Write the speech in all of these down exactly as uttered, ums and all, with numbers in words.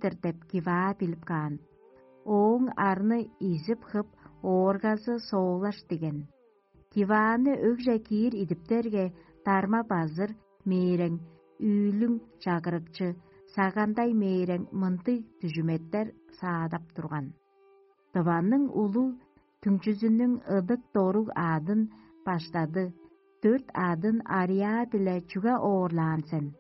кирип-тир деп Киваа билип каан. Ооң арны изип-хып, ооргазы соолаш диген. Кивааны өгже киир идиптерге, дарма-базыр, мээрең, үүлүң, чагырыкчы, сагандай мээрең мындыг дүжүметтер саадап турган. Дыванның улуг түңчүзүнүң ыдык доруг аъдын баштады: «Дөрт аъдын Ариа-биле чүге оорлаан сен?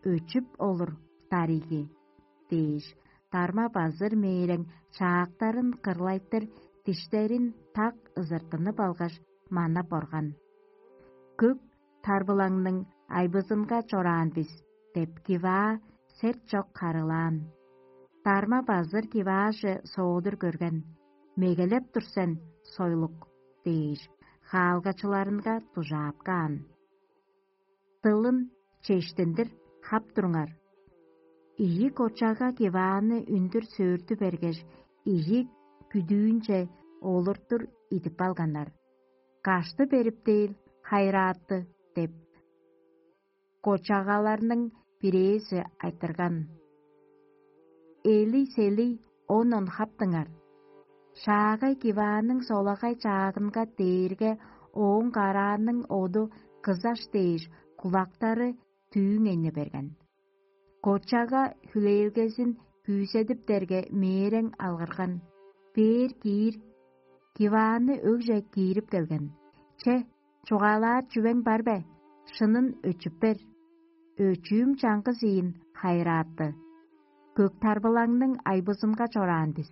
Өчүп олур, дариги» – дээш, дарма-базыр мээрең чаактарын кырлайтыр, диштерин так ызыртынып алгаш, манап орган. «Көк тарбылаңның айбызынга чораан бис» – деп Киваа серт чок харыылаан. Дарма-базыр Кивааже соодур көрген: «Мегелеп тур сен, сойлук» – дээш, хаалгачыларынга дужаап каан. Дылын чештиндир хап туруңар. Ийи кочага Кивааны үндүр сөөртү бергеш, ийи күдүүнче олуртур идип алганнар. «Кашты берип дээр, хайырааты» – деп, кочагаларның бирээзи айтырган. Эли-селий оон хаптыңар. Шаагай Кивааның солагай чаагынга дээрге ооң карааның оду кызаш дээш, кулактары дүүң эне берген. Кочага хүлээлгезин күүседиптерге, мээрең алгырган: «Бээр киир!» Кивааны өгже киирип келген. «Че, чугаалаар чүвең бар бе? Шынын өчүп бер». «Өчүүм чаңгыс ийин, хайырааты. Көк тарбылаңның айбызынга чораан бис».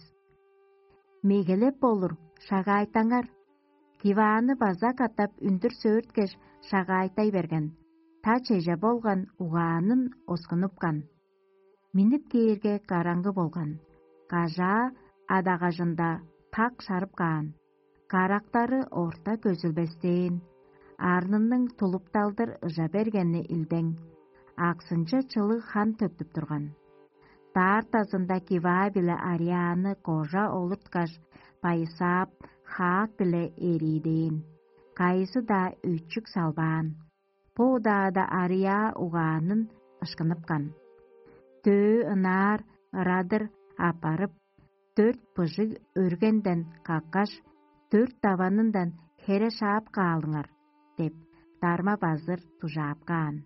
«Мегелеп болур, шагаайтаңар». Кивааны база катап үндүр сөөрткеш, шагаайтай берген. Та чеже болган угаанын оскунупкан. Миннип кээрге, караңгы болган. Кажаа адагажында так шарып каан. Карактары орта көзүлбестээн, арнының тулупталдыр ыжа бергени илдең, аксынче чылыг хан төктүп турган. Даартазында Киваа биле Арианы кожа олурткаш, байысаап, хаак-биле эриидээн, кайызы-даа өчүк салбаан. Бо удаада Ариа угаанын ышкыныпкан. Дөө ынаар ырадыр аппарып, дөрт быжыг өргенден каккаш, дөрт даванындан хере шаап каалыңар деп, дарма-базыр дужаап каан.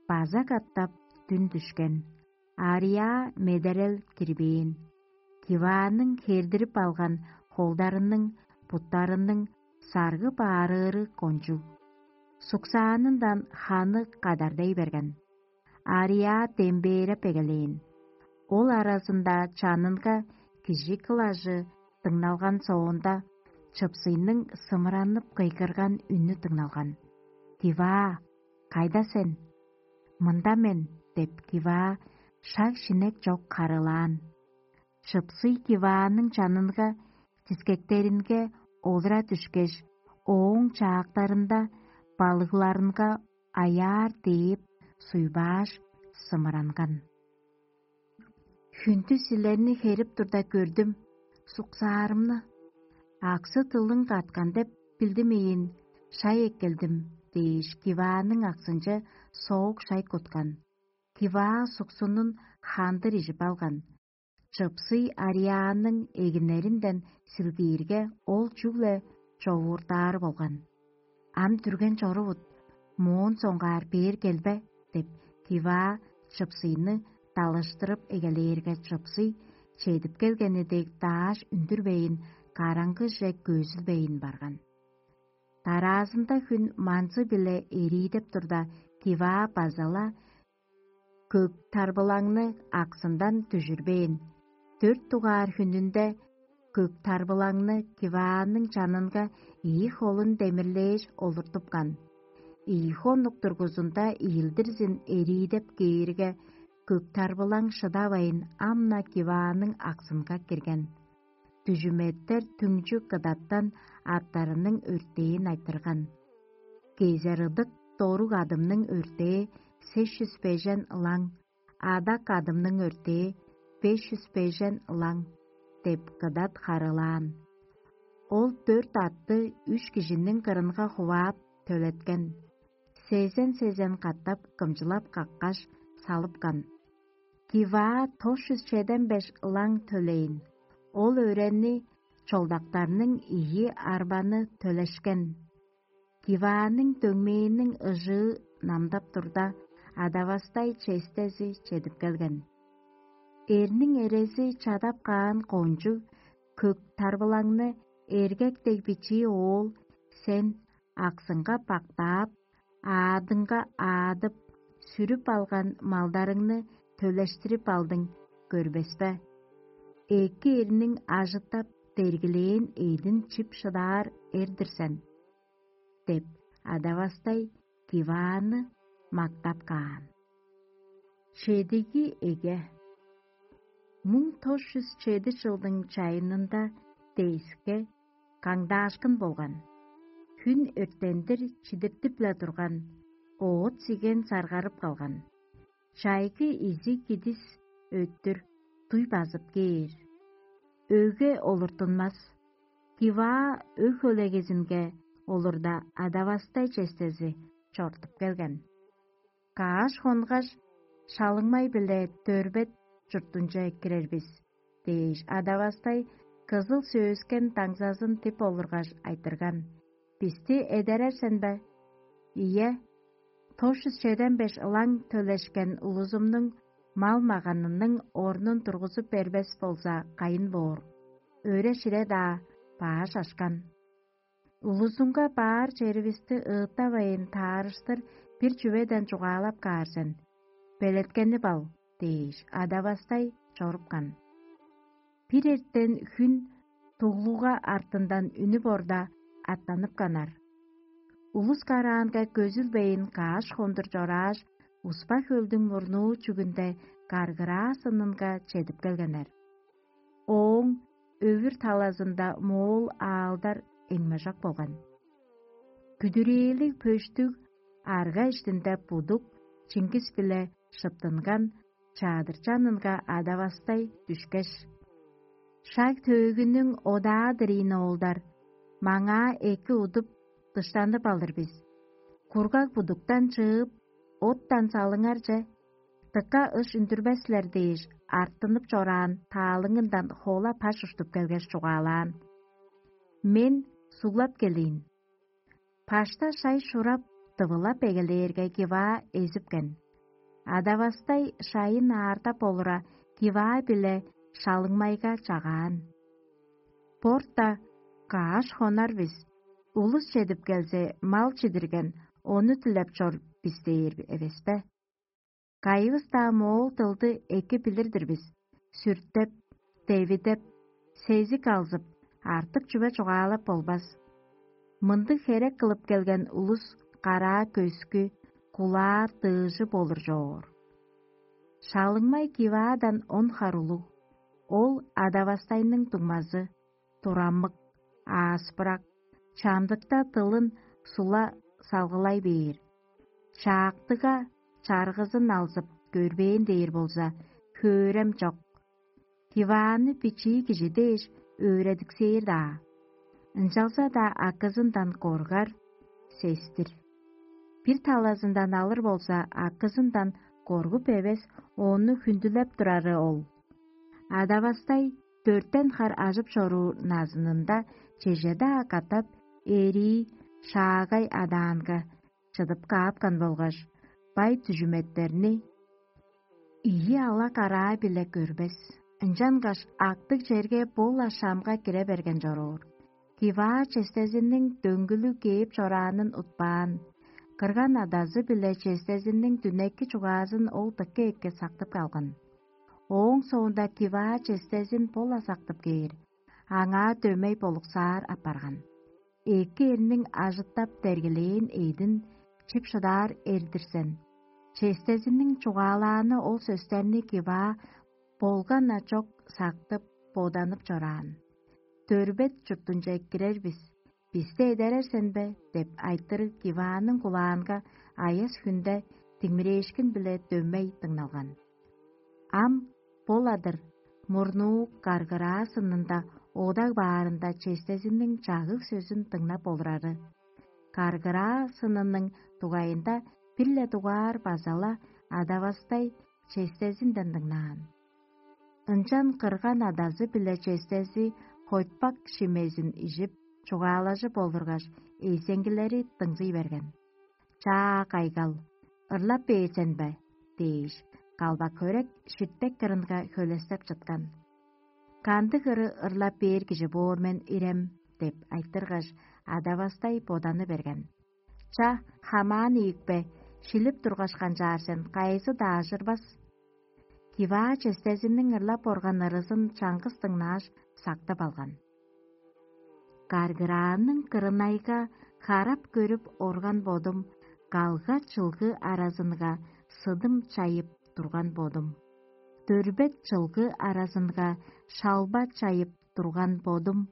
База катап дүн дүшкен. Ариа медерел кирбээн. Кивааның хердирип алган холдарының, буттарының саргы баарыыры кончуг. Суксаанындан ханы кадардай берген. Ариа дембээреп эгелээн. Ол аразында чанынга кижи кылажы дыңналган соонда, чыпсыйның сымыранып кыйгырган үнү дыңналган: «Киваа, кайда сен?» «Мында мен» – деп, Киваа шаг-шинек чок харыылаан. Чыпсый Кивааның чанынга, дискектеринге олура дүшкеш, ооң чаактарында балыгларынга аяар дээп суйбааш, сымыранган. «Хүндү силерни херип турда көрдүм, суксаарымны. Аксы-дылың каткан деп билдимейн, шай эккелдим» – дээш, Кивааның аксынче соок шай куткан. Киваа суксунун хандыр ижип алган. Чыпсый Ариааның эгинеринден силгиирге, ол чүгле човуурдаары болган. «Ам дүрген чорувут, моон соңгаар бээр келбе» – деп, Киваа чыпсыйны далыштырып эгелээрге, чыпсый чедип келгени дег дааш үндүрбейн, караңгыже көзүлбейн барган. Дараазында хүн манзы-биле эриидеп турда, Киваа база-ла көк тарбылаңны аксындан дүжүрбээн. Дөрт дугаар хүнүнде көк тарбылаңны Кивааның чанынга ийи холун демирлээш олуртупкан. Ийи хонук дургузунда ийилдирзин эриидеп кээрге, көк тарбылаң шыдавайн, ам-на Кивааның аксынга кирген. Дүжүметтер түңчү кыдаттан аттарының өртээн айтырган. Кезер ыдык доруг адымның өртээ сес чүс бежен ылаң, адак адымның өртээ беш чүс бежен ылаң деп кыдат харыылаан. Ол дөрт атты үш кижиниң кырынга хуваап төлеткен. Сезен-сезен катап кымчылап каккаш, салыпкан. Киваа тос чүс чеден беш ылаң төлээн. Ол өөрени чолдактарның ийи арбаны төлешкен. Кивааның дөңмээниң ыжыы намдап турда, адавастай честези чедип келген. Эрниң эрези чадап каан кончуг көк тарбылаңны эргек дег бичии оол сен аксынга бактаап, аадынга аадып, сүрүп алган малдарыңны төлештирип алдың, көрбес бе? Эки эрниң ажыттап дергилээн эъдин чип шыдаар эр-дир сен» — деп, адавастай Кивааны мактап каан. Чедиги эге. Муң тос чүс чеди чылдың чайынында дээске каңдаашкын болган. Хүн өрттендир чидиртип-ле турган, оът-сиген саргарып калган. Чайгы изи кидис өттүр дуй базып кээр. Өге олуртунмас. Киваа өг хөлегезинге олурда адавастай честези чортуп келген. Кааш хонгаш, шалыңмай-биле дөрбет чуртунче кирер бис дээш, адавастай кызыл сөөскен даңзазын тип олургаш айтырган: «Бисти эдерер сен бе?» «Ийе, тос чүс чеден беш ылаң төлешкен улузумнуң мал-маганының орнун тургузуп бербес болза, кайын боор? Өре-шире-даа бааш ашкан. Улузунга баар черивисти ыыттавайн таарыштыр бир чүведен чугаалап каар сен. Белеткенип ал» — дээш, адавастай чорупкан. Бир эртен хүн дуглуга артындан үнүп орда, аттанып канар. Улус караанга көзүлбейн кааш хондур чорааш, Успа-Хөлдүң мурнуу чүгүнде Каргыраа сынынга чедип келгеннер. Ооң өвүр талазында моол аалдар эңмежок болган. Күдүрээлиг пөштүг арга иштинде будук, чингис-биле шыптынган чадырчанынга адавастай дүшкеш: «Шаг төөгүнүң одаа-дыр ийин, оолдар, маңаа эки удуп, дыштанып алыр бис. Кургаг будуктан чыып, оттан салыңарже, дыка ыш үндүрбес силер» — дээш, артынып чораан таалыңындан хоола паш уштуп келгеш, чугаалаан: «Мен суглап келейн». Пашта шай шурап, дывылап эгелээрге, Киваа эзипкен. Адавастай шайын аардап олура, Киваа-биле шалыңмайга чагаан: «Борта кааш хонар бис, улус чедип келзе, мал чидирген, ону дилеп чор бис» — дээр эвес бе? Кайывыс-даа моол дылды эки билир-дир бис: сүртеп, девидеп, сезик алзып, артык чүве чугаалап болбас. Мындыг херек кылып келген улус караа көскү, кулаа дыыжы болур чоор. Шалыңмай Киваадан он хар улуг. Ол адавастайның дуңмазы, турамык, ааспырак, чамдыкта дылын сула салгылай бээр. Чаактыга чаргызын алзып көрбээн дээр болза, хөөрем чок. Кивааны бичии кижи дээш өөредиксээр-даа. Ынчалза-даа акызындан коргар, сестир. Бир талазындан алыр болза, акызындан коргуп эвес, ону хүндүлеп турары ол. Адавастай дөртен хар ажып чоруур назынында чеже-даа катап эрии шаагай адаанга чыдып каапкан болгаш, бай дүжүметтерни ийи ала-караа-биле көрбес. Ынчангаш актыг черге бо-ла шамга кире берген чоруур. Киваа честезиниң дөңгүлүг кээп чораанын утпаан. Кырган адазы-биле честезиниң дүнеки чугаазын ол дыка эки сактып калган. Ооң соонда Киваа честезин бо-ла сактып кээр, аңаа дөмей болуксаар апарган. Эки эрниң ажыттап бергилээн эъдин чип шыдаар эр-дир сен. Честезиниң чугаалааны ол сөстерни Киваа болган-на чок сактып, боданып чораан. «Дөрбет чуртунче кирер бис, бисти эдерер сен бе?» — деп айтырыг Кивааның кулаанга аяс хүнде димирээшкин-биле дөмей дыңналган. Ам бо-ла-дыр, мурнуу Каргыраа сынында одаг баарында честезиниң чагыг сөзүн дыңнап олурары. Каргыраа сынының дугайында бир-ле дугаар база-ла адавастай честезинден дыңнаан. Ынчан кырган адазы биле честези хойтпак шимезин ижип, чугаалажып олургаш, эйзеңгилери дыңзый берген. «Чаа, кайгал, ырлап бээр сен бе?» – дээш, калбак хөрек ширтек кырынга хөлестеп чыткан. «Кандыг ыры ырлап бээр кижи боор мен ирем?» – деп айтыргаш, адавастай боданы берген. «Ча, хамаан ийикпе, шилип тургаш канчаар сен, кайызы-даа ажырбас». Киваа честезиниң ырлап орган ырызын чаңгыс дыңнааш, сактып алган. Каргыраанның кырынайга харап көрүп орган бодум, калга чылгы аразынга сыдым чайып турган бодум. Дөрбет чылгы аразынга шалба чайып турган бодум,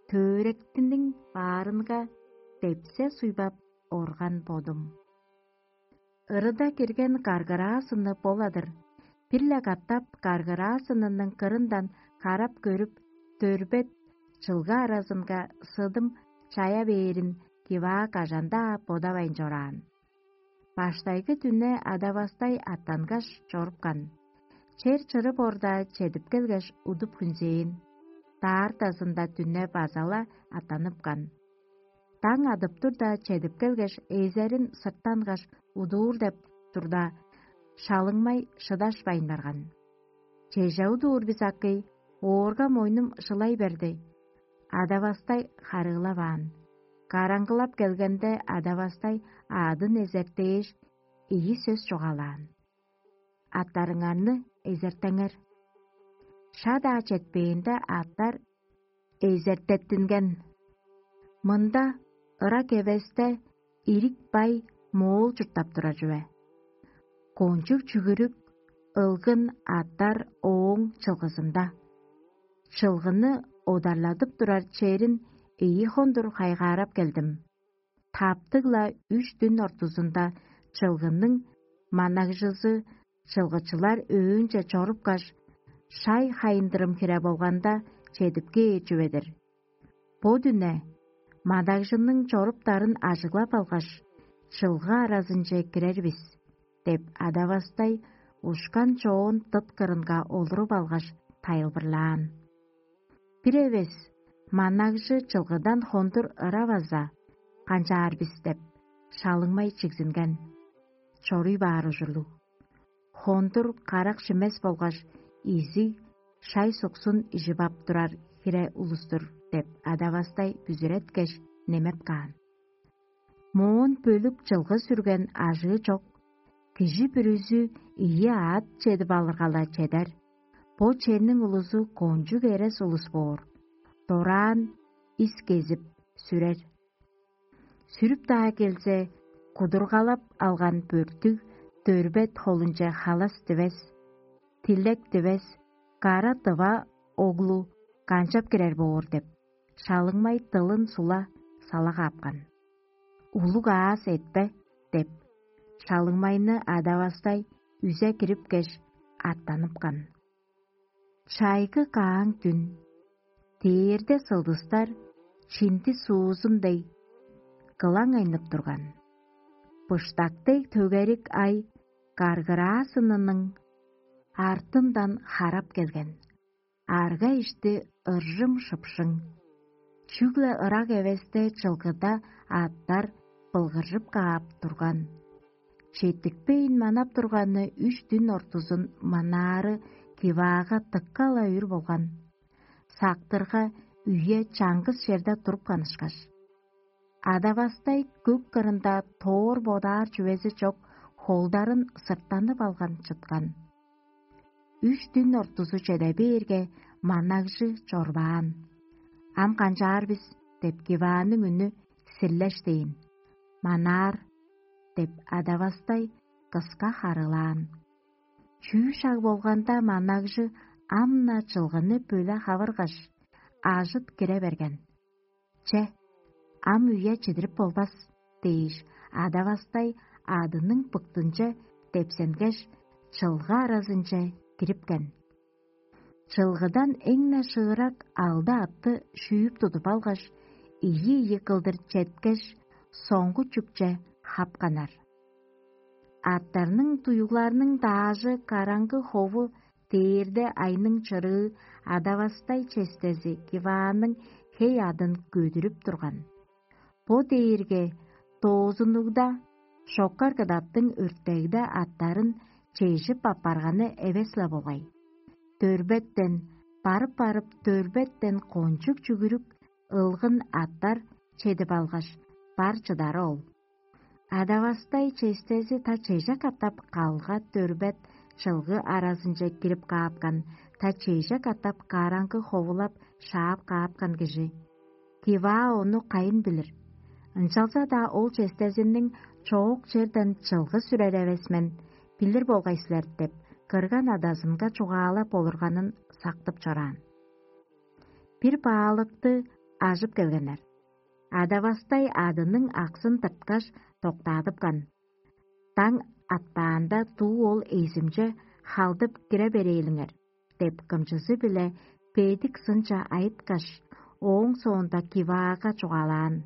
төөректиниң баарынга депсе суйбап орган бодум. Ырыда кирген каргыраасыны боладыр. Бир-ле катап каргыраасынының кырындан карап көрүп, дөрбет чылгы аразынга сыдым чая бээрин киваа кажан-даа бодавайн чораан. Баштайгы дүне адавастай аттангаш чорупкан. Чер чырып орда чедип келгеш, удуп хүнзээн. Даартазында дүне база-ла аттаныпкан. Даң адып турда чедип келгеш, эзерин сырттангаш удуур деп турда, шалыңмай шыдашпайн барган. «Чеже удуур бис, акый, оорга мойнум шылай берди». Адавастай харыылаваан. Караңгылап келгенде, адавастай аадын эзертээш, ийи сөс чугаалаан: «Аттарыңарны эзертеңер». Шаа-даа четпээнде, аттар эзертеттинген. Мында ырак эвесте ирик-бай моол чурттап турар чүве. Кончуг чүгүрүк, ылгын аттар ооң чылгызында. Чылгыны одарладып турар черин ийи хондур хайгаарап келдим. Таптыг-ла үш дүн ортузунда чылгының манагжызы чылгычылар өөнче чорупкаш, шай хайындырым хире болганда чедип кээр чүве-дир. Бо дүне манагжының чоруптарын ажыглап алгаш, чылгы аразынче кирер бис» – деп, адавастай ушкан чоон дыт кырынга олуруп алгаш, тайылбырлаан. Бир эвес манагжы чылгыдан хондур ыра база: «Канчаар бис?» – деп, шалыңмай чигзинген. Чоруй баар ужурлуг. Хондур карак шимес болгаш, изиг шай-суксун ижип ап турар хире улус-тур деп, адавастай бүзүреткеш, немеп каан. Моон бөлүк чылгы сүрген ажыы чок, кижи бүрүзү ийи аът чедип алырга-ла чедер. Бо черниң улузу кончуг эрес улус боор. Дораан ис кезип сүрер. Сүрүп-даа келзе, кудургалап алган бөрттүг дөрбет холунче халас дивес, тилек дивес, кара дыва оглу канчап кирер боор деп, шалыңмай дылын сула сала каапкан. «Улуг аас этпе» – деп, шалыңмайны адавастай үзе кирипкеш, аттаныпкан. Чайгы кааң дүн, дээрде сылдыстар чинди суузун дег кылаң айнып турган. Быштак дег төгерик ай каргыраасынының артындан харап келген. Арга-ишти ыржым-шыпшың. Чүгле ырак эвесте чылгыда аъттар былгыржып каап турган. Четтикпейн манап турганы үш дүн ортузун манаары Киваага дыка-ла үр болган. Сактырга үе чаңгыс черде туруп канышкаш, адавастай көк кырында тоор бодаар чүвези чок, холдарын сырттанып алган чыткан. Үш дүн ортузу чеде бээрге, манагжы чорбаан. «Ам канчаар бис?» – деп, Кивааның үнү сирлештээн. «Манаар» – деп, адавастай кыска харыылаан. Чүү шаг болганда, манагжы ам-на чылгыны бөле хавыргаш, ажыт кире берген. «Че, ам үе чидирип болбас» – дээш, адавастай адының быктынче депсенгеш, чылгы аразынче кирипкен. Чылгыдан эң-не шыырак алды атты шүүп тудуп алгаш, ийи-ийи кылдыр четкеш, соңгу чүкче хапканнар. Аттарның туюгларның даажы караңгы хову дээрде айның чырыы адавастай честези Кивааның хей адын көдүрүп турган. Бо дээрге доозуннугда шоккар кыдаттың өртегде аттарын чежип аппарганы эвес-ла болгай. Дөрбеттен, барып-барып, дөрбеттен кончуг чүгүрүк ылгын аттар чедип алгаш, бар чыдары ол. Адавастай честези та чеже катап калга дөрбет чылгы аразынче кирип каапкан, та чеже катап караңгы ховулап шаап каапкан кижи. Киваа ону кайын билир? Ынчалза-даа ол честезиниң чоок черден чылгы сүрер эвес мен, билир болгай силер деп, кырган адазынга чугаалап олурганын сактып чораан. Бир баалыкты ажып келгеннер. Адавастай адының аксын тырткаш, доктаадыпкан. Даң атпаанда дуу ол эзимче халдып кире берээлиңер деп, кымчызы-биле бедик сынча айыткаш, ооң соонда Киваага чугаалаан: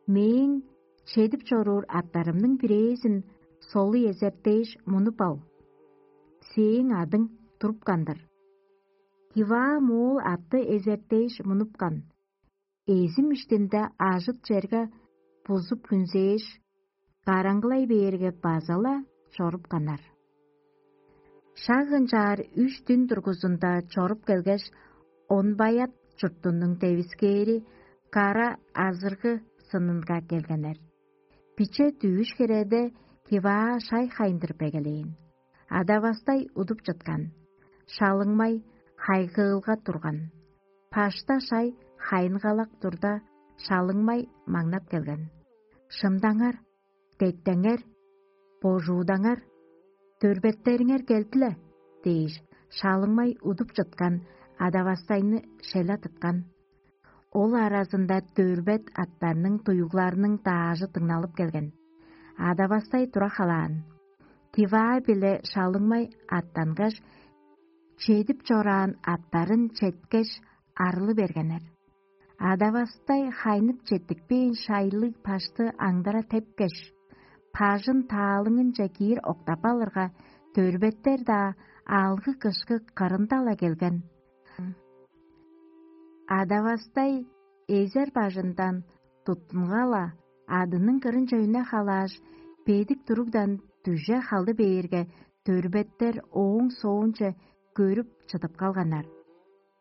«Мээң чедип чоруур аттарымның бирээзин солу эзертээш мунуп ал. Сээң адың турупкан-дыр». Киваа моол атты эзертээш мунупкан. Эзим иштинде ажыт черге бузуп хүнзээш, караңгылай бээрге, база-ла чорупканнар. Шак ынчаар үш дүн дургузунда чоруп келгеш, Онбаят чуртунуң девискээри кара азыргы сынынга келгеннер. Биче дүвүш хиреде Киваа шай хайындырып эгелээн. Адавастай удуп чыткан. Шалыңмай хайгыылга турган. Пашта шай хайынгалак турда, шалыңмай маңнап келген. «Шымдаңар, деттеңер, божуудаңар, дөрбеттериңер келди-ле» – дээш, шалыңмай удуп чыткан Адавастайны шеле тыткан. Ол аразында дөрбет аттарның дуюгларының даажы дыңналып келген. Адавастай тура халаан. Киваа-биле шалыңмай аттангаш, чедип чораан аттарын четкеш, арылы бергеннер. Адавастай хайнып четтикпээн шайлыг пашты аңдара тепкеш, пажын таалыңынче киир октап алырга, дөрбеттер-даа алгы-кышкы кырында-ла келген. Адавастай эзер бажындан туттунга-ла, адының кырынче үне халааш, бедик туругдан дүже халды бээрге, дөрбеттер ооң соонче көрүп чыдып калганнар.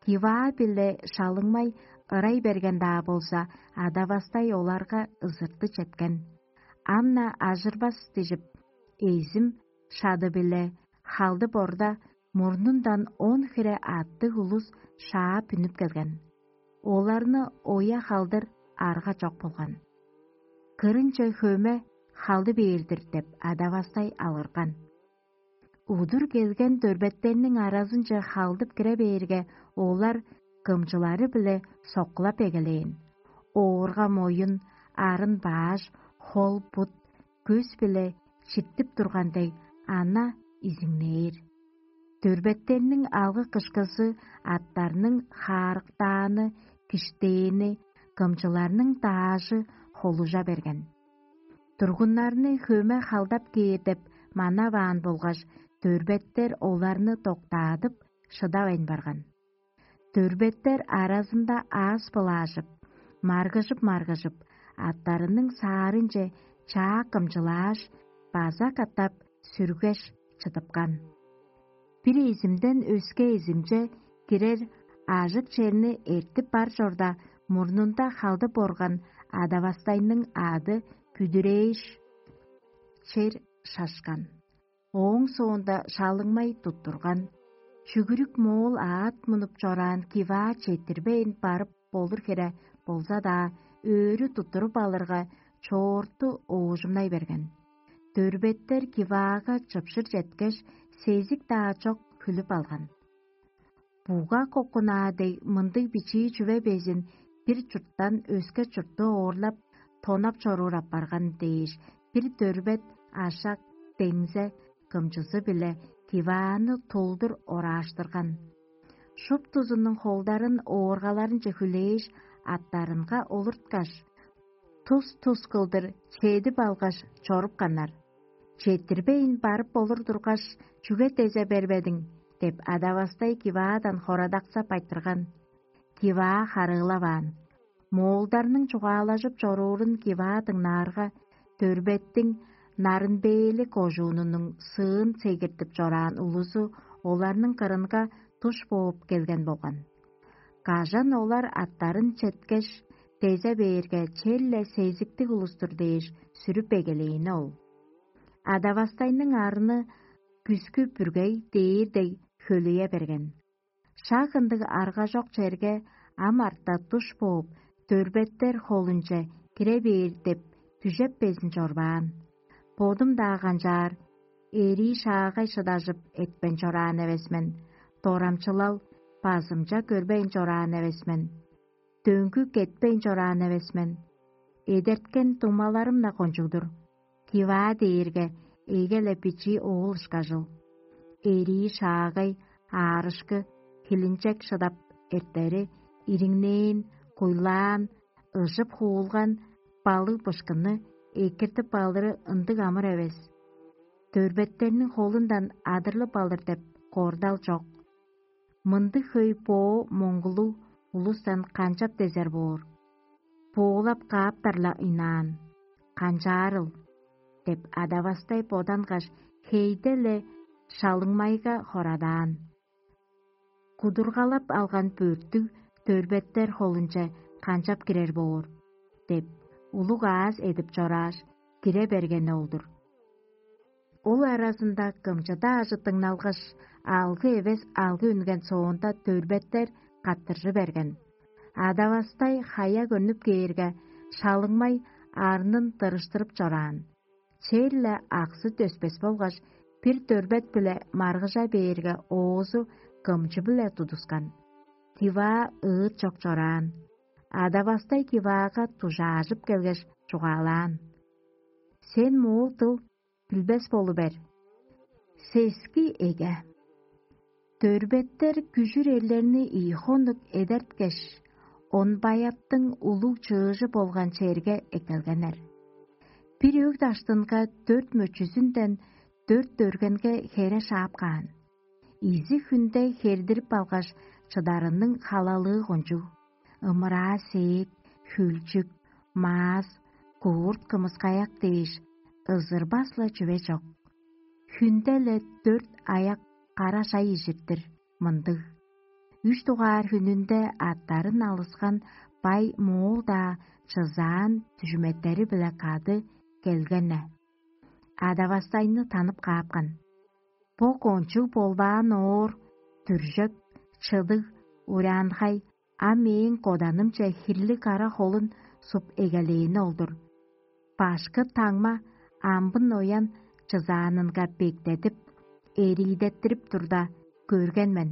Киваа-биле шалыңмай ырай берген-даа болза, Адавастай оларга ызырты четкен. Ам-на ажырбас дижип, эзим шады-биле халды борда мурнундан он хире аъттыг улус шаап үнүп келген. Оларны оя халдыр арга чок болган. Кырынче хөме халды бээр-дир деп, Адавастай алгырган. Удур келген дөрбеттерниң аразынче халдып кире бээрге, олар кымчылары-биле соккулап эгелээн. Оорга моюн, арын бааш, хол-бут, көс-биле читтип турган дег, ана изиңнээр. Дөрбеттерниң алгы-кышкызы, аттарның хаарыктааны, киштээни, кымчыларның даажы холужа берген. Тургуннарны хөме халдап кээр деп манаваан болгаш, дөрбеттер оларны доктаадып, шыдавайн барган. Дөрбеттер аразында аас былаажып, маргыжып-маргыжып, аттарының саарынче чаа кымчылааш, база катап сүргеш, чыдыпкан. Бир эзимден өске эзимче кирер ажык черни эртип бар чорда, мурнунда халдып орган Адавастайның аъды бүдүрээш, чер шашкан. Ооң соонда шалыңмай туттурган. Чүгүрүк моол аът мунуп чораан Киваа четтирбейн барып болур хире болза-даа, өөрү туттуруп алырга, чоорту оожумнай берген. Дөрбеттер Киваага чыпшыр четкеш, сезик-даа чок хүлүп алган. Буга кокунаа дег мындыг бичии чүве безин бир чурттан өске чурту оорлап, тонап чоруур апарган дээш, бир дөрбет ашак деңзе кымчызы-биле Кивааны тулдур орааштырган. Шуптузунуң холдарын ооргаларынче хүлээш, аттарынга олурткаш, тус-тус кылдыр чедип алгаш, чорупканнар. Четтирбейн барып болур тургаш, чүге дезе бербедиң?» — деп, адавастай Киваадан хорадаксап айтырган. Киваа харыылаваан: «Моолдарның чугаалажып чоруурун Киваа дыңнаарга, Дөрбеттиң Нарынбээлиг кожуунунуң сыын сегиртип чораан улузу оларның кырынга туш бооп келген болган. Кажан олар аттарын четкеш, дезе бээрге, черле сезиктиг улус-тур дээш сүрүп эгелээни ол. Адавастайның арны күскү бүргей дээр дег хөлүе берген. Шак ындыг аргажок черге ам арта туш бооп, Дөрбеттер холунче кире бээр деп дүжеп безин чорбаан. Бодум-даа канчаар, эрии шаагай шыдажып этпен чораан эвес мен, дорамчылал базымча көрбейн чораан эвес мен, дөңгү кетпейн чораан эвес мен. Эдерткен дуңмаларым-на кончуг-дур. Киваа дээрге эге-ле бичии оол ышкажыл. Эрии шаагай, аарышкы, хилинчек шыдап эртери, ириңнээн, куйлаан, ыжып хуулган балыг-бышкынны экиртип алыры ындыг амыр эвес. Дөрбеттерниң холундан адырлып алыр деп кордал чок. Мындыг хөй боо моңгулуг улустан канчап дезер боор? Боолап кааптар-ла ыйнаан. Канчаарыл?» — деп, адавастай бодангаш, хейде-ле шалыңмайга хорадаан. «Кудургалап алган бөрттүг Дөрбеттер холунче канчап кирер боор?» — деп, улуг ааз эдип чорааш, кире бергени ол-дур. Ол аразында кымчыда ажыттыңналгаш, алгы эвес алгы үнген соонда Дөрбеттер каттыржы берген. Адавастай хая көнүп кээрге, шалыңмай арнын дырыштырып чораан. Черле аксы төспес болгаш, бир Дөрбет-биле маргыжа бээрге, оозу кымчы-биле тудускан. Киваа ыыт чок чораан. Адавастай Киваага дужаажып келгеш, чугаалаан: «Сен моол дыл билбес болу бер. Сески эге. Дөрбеттер күжүр эрлерни ийи хонук эдерткеш, он баяттың улуг чыыжы болган черге эккелгеннер. Бир өг даштынга дөрт мөчүзүнден дөрт дөргенге хере шаап каан. Ийи хүнде хердирип алгаш, чыдарының халалыы кончуг: ымыраа сээк, хүлчүк, маас, куурт кымыскаяк дээш, ызырбас-ла чүве чок. Хүнде-ле дөрт аяк кара шай ижир-дир мындыг. Үш дугаар хүнүнде аттарын алыскан бай моол-даа чызаан дүжүметтери-биле кады келгене. Адавастайны танып каапкан. Бо кончуг болбаан оор, дүржек, чыдыг, ураанхай, а мээң коданымче хирлиг кара холун суп эгелээни ол-дур. Башкы таңма амбын оян чызаанынга бектедип, эриидеттирип турда, көрген мен.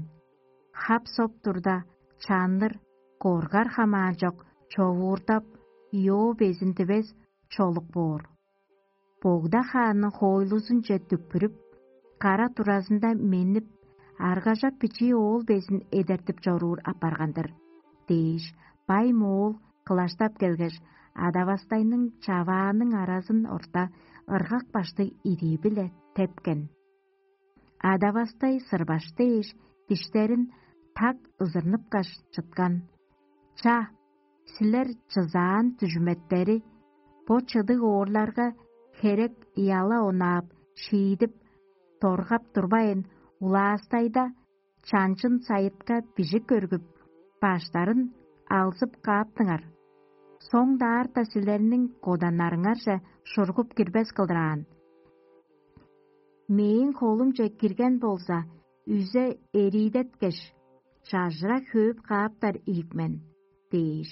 Хап-соп турда, чанныр, коргар хамаан чок, човуурдап, ёо безин дивес чолук боор. Богда хаанның хоойлузунче дүкпүрүп, кара туразында меннип, аргажап бичии оол безин эдертип чоруур апарган-дыр» — дээш, бай моол кылаштап келгеш, адавастайның чавааның аразын орта ыргак баштыг ирии-биле тепкен. Адавастай сырбаш дээш, диштерин так ызырныпкаш чыткан. Ча, силер чызаан дүжүметтери, бо чыдыг оорларга херек ыяла онаап, шиидип, доргап турбайн, улаастайда чанчын сайытка бижик көргүп, баштарын алзып кааптыңар. Соңдаарда силерниң коданнарыңарже шургуп кирбес кылдыраан. Мээң холумче кирген болза, үзе эриидеткеш, чажыра хөөп кааптар ийик мен» — дээш,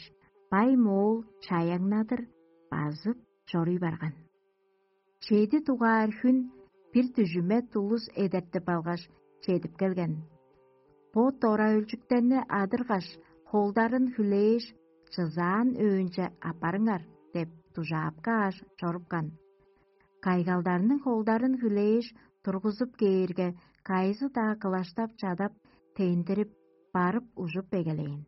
бай моол чаяңнадыр базып чоруй барган. Чеди дугаар хүн бир дүжүмет улус эдертип алгаш, чедип келген. «Бо дора өлчүктерни адыргаш, холдарын хүлээш, чызаан өөнче аппарыңар» — деп дужаап кааш чорупкан. Кайгалдарның холдарын хүлээш, тургузуп кээрге, кайызы-даа кылаштап чадап, тендирип, барып ужуп эгелээн.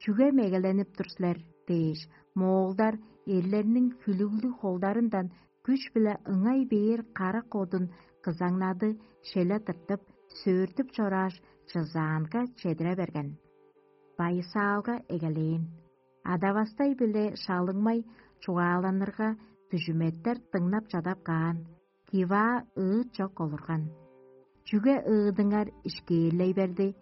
«Чүге мегеленип тур силер?» — дээш, моолдар эрлерниң хүлүглүг холдарындан күш-биле ыңай бээр карак одун кызаңнады шеле тыртып, сөөртүп чорааш, чызаанга чедире берген. Байысаалга эгелээн. Адавастай биле шалыңмай чугааланырга, дүжүметтер дыңнап чадап каан, киваа ыыт чок олурган. «Чүге ыыдыңар ишкээрлей берди?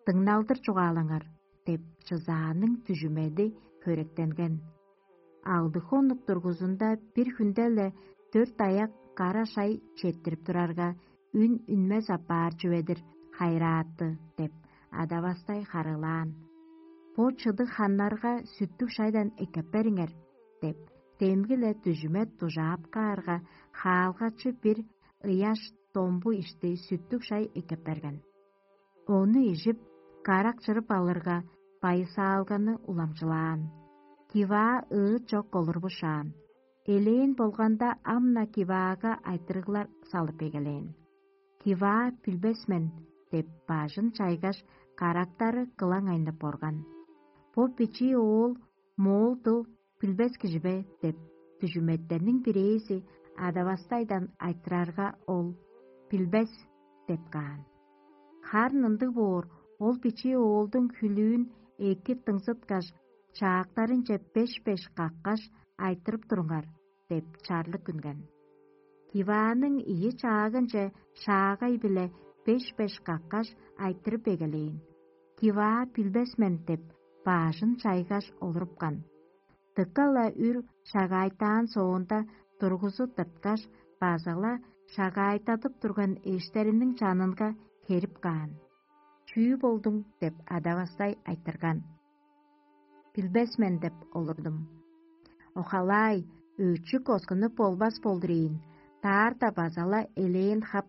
Дыңналдыр чугаалаңар» — деп, чызааның дүжүмеди хөректенген. Алдык хонук дургузунда бир хүнде-ле дөрт аяк кара шай четтирип турарга, үн үнмес апаар чүве-дир, хайырааты деп, адавастай харыылаан. «Бо чыдыг ханнарга сүттүг шайдан эккеп бериңер» — деп, демги-ле дүжүмет дужаап каарга, хаалгачы бир ыяш домбу ишти сүттүг шай эккеп берген. Ону ижип, карак чырып алырга, байысаалганы уламчылаан. Киваа ыыт чок олурбушаан. Элээн болганда, ам-на киваага айтырыглар салып эгелээн. «Киваа билбес мен» — деп, бажын чайгаш, карактары кылаң айнып орган. «Бо бичии оол моол дыл билбес кижи бе?» — деп, дүжүметтерниң бирээзи адавастайдан айтырарга, ол: «Билбес» — деп каан. «Харын ындыг боор, ол бичии оолдуң хүлүүн эки дыңзыткаш, чаактарынче беш-беш каккаш, айтырып туруңар» — деп, чарлык үнген. Кивааның ийи чаагынче шаагай-биле беш-беш каккаш, айтырып эгелээн. «Киваа билбес мен» — деп, бажын чайгаш, олурупкан. Дыка-ла үр шагаайтаан соонда, тургузу тырткаш, база-ла шагаайтадып турган эштериниң чанынга херип каан. «Чүү болдуң?» — деп, адавастай айтырган. «Билбес мен» — деп олурдум. «Охалаай, өчүк оскунуп болбас болдур ийин, даарда база-ла элээн хап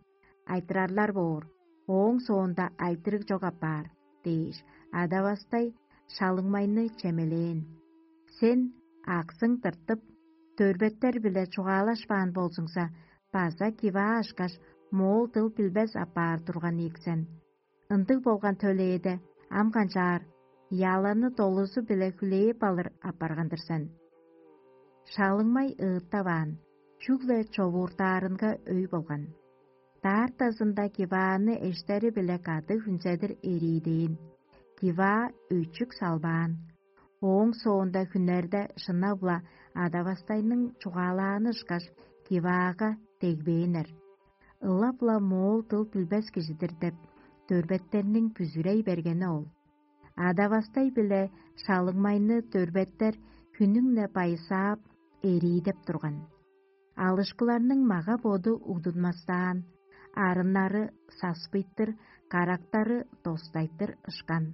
айтырарлар боор, ооң соонда айтырыг чок апаар» — дээш, адавастай шалыңмайны чемелээн. «Сен аксың тыртып, дөрбеттер-биле чугаалашпаан болзуңза, база киваа ышкаш, моол дыл билбес апаар турган ийик сен. Ындыг болган төлээде, ам канчаар, яланы долузу-биле хүлээп алыр апарган-дыр сен». Шалыңмай ыыттаваан, чүгле човууртаарынга өй болган. Даартазында кивааны эштери-биле кады хүнзедир эриидээн. Киваа өчүк салбаан. Ооң соонда хүннерде шынап-ла адавастайның чугаалааны ышкаш, киваага дегбээннер. «Ылап-ла моол дыл билбес кижи-дир» — деп, дөрбеттерниң бүзүрей бергени ол. Адавастай биле шалыңмайны дөрбеттер хүннүң-не байысаап, эриидеп турган. Алышкыларның мага-боду угдунмастаан, арыннары саспыйтыр, карактары достайтыр ышкан.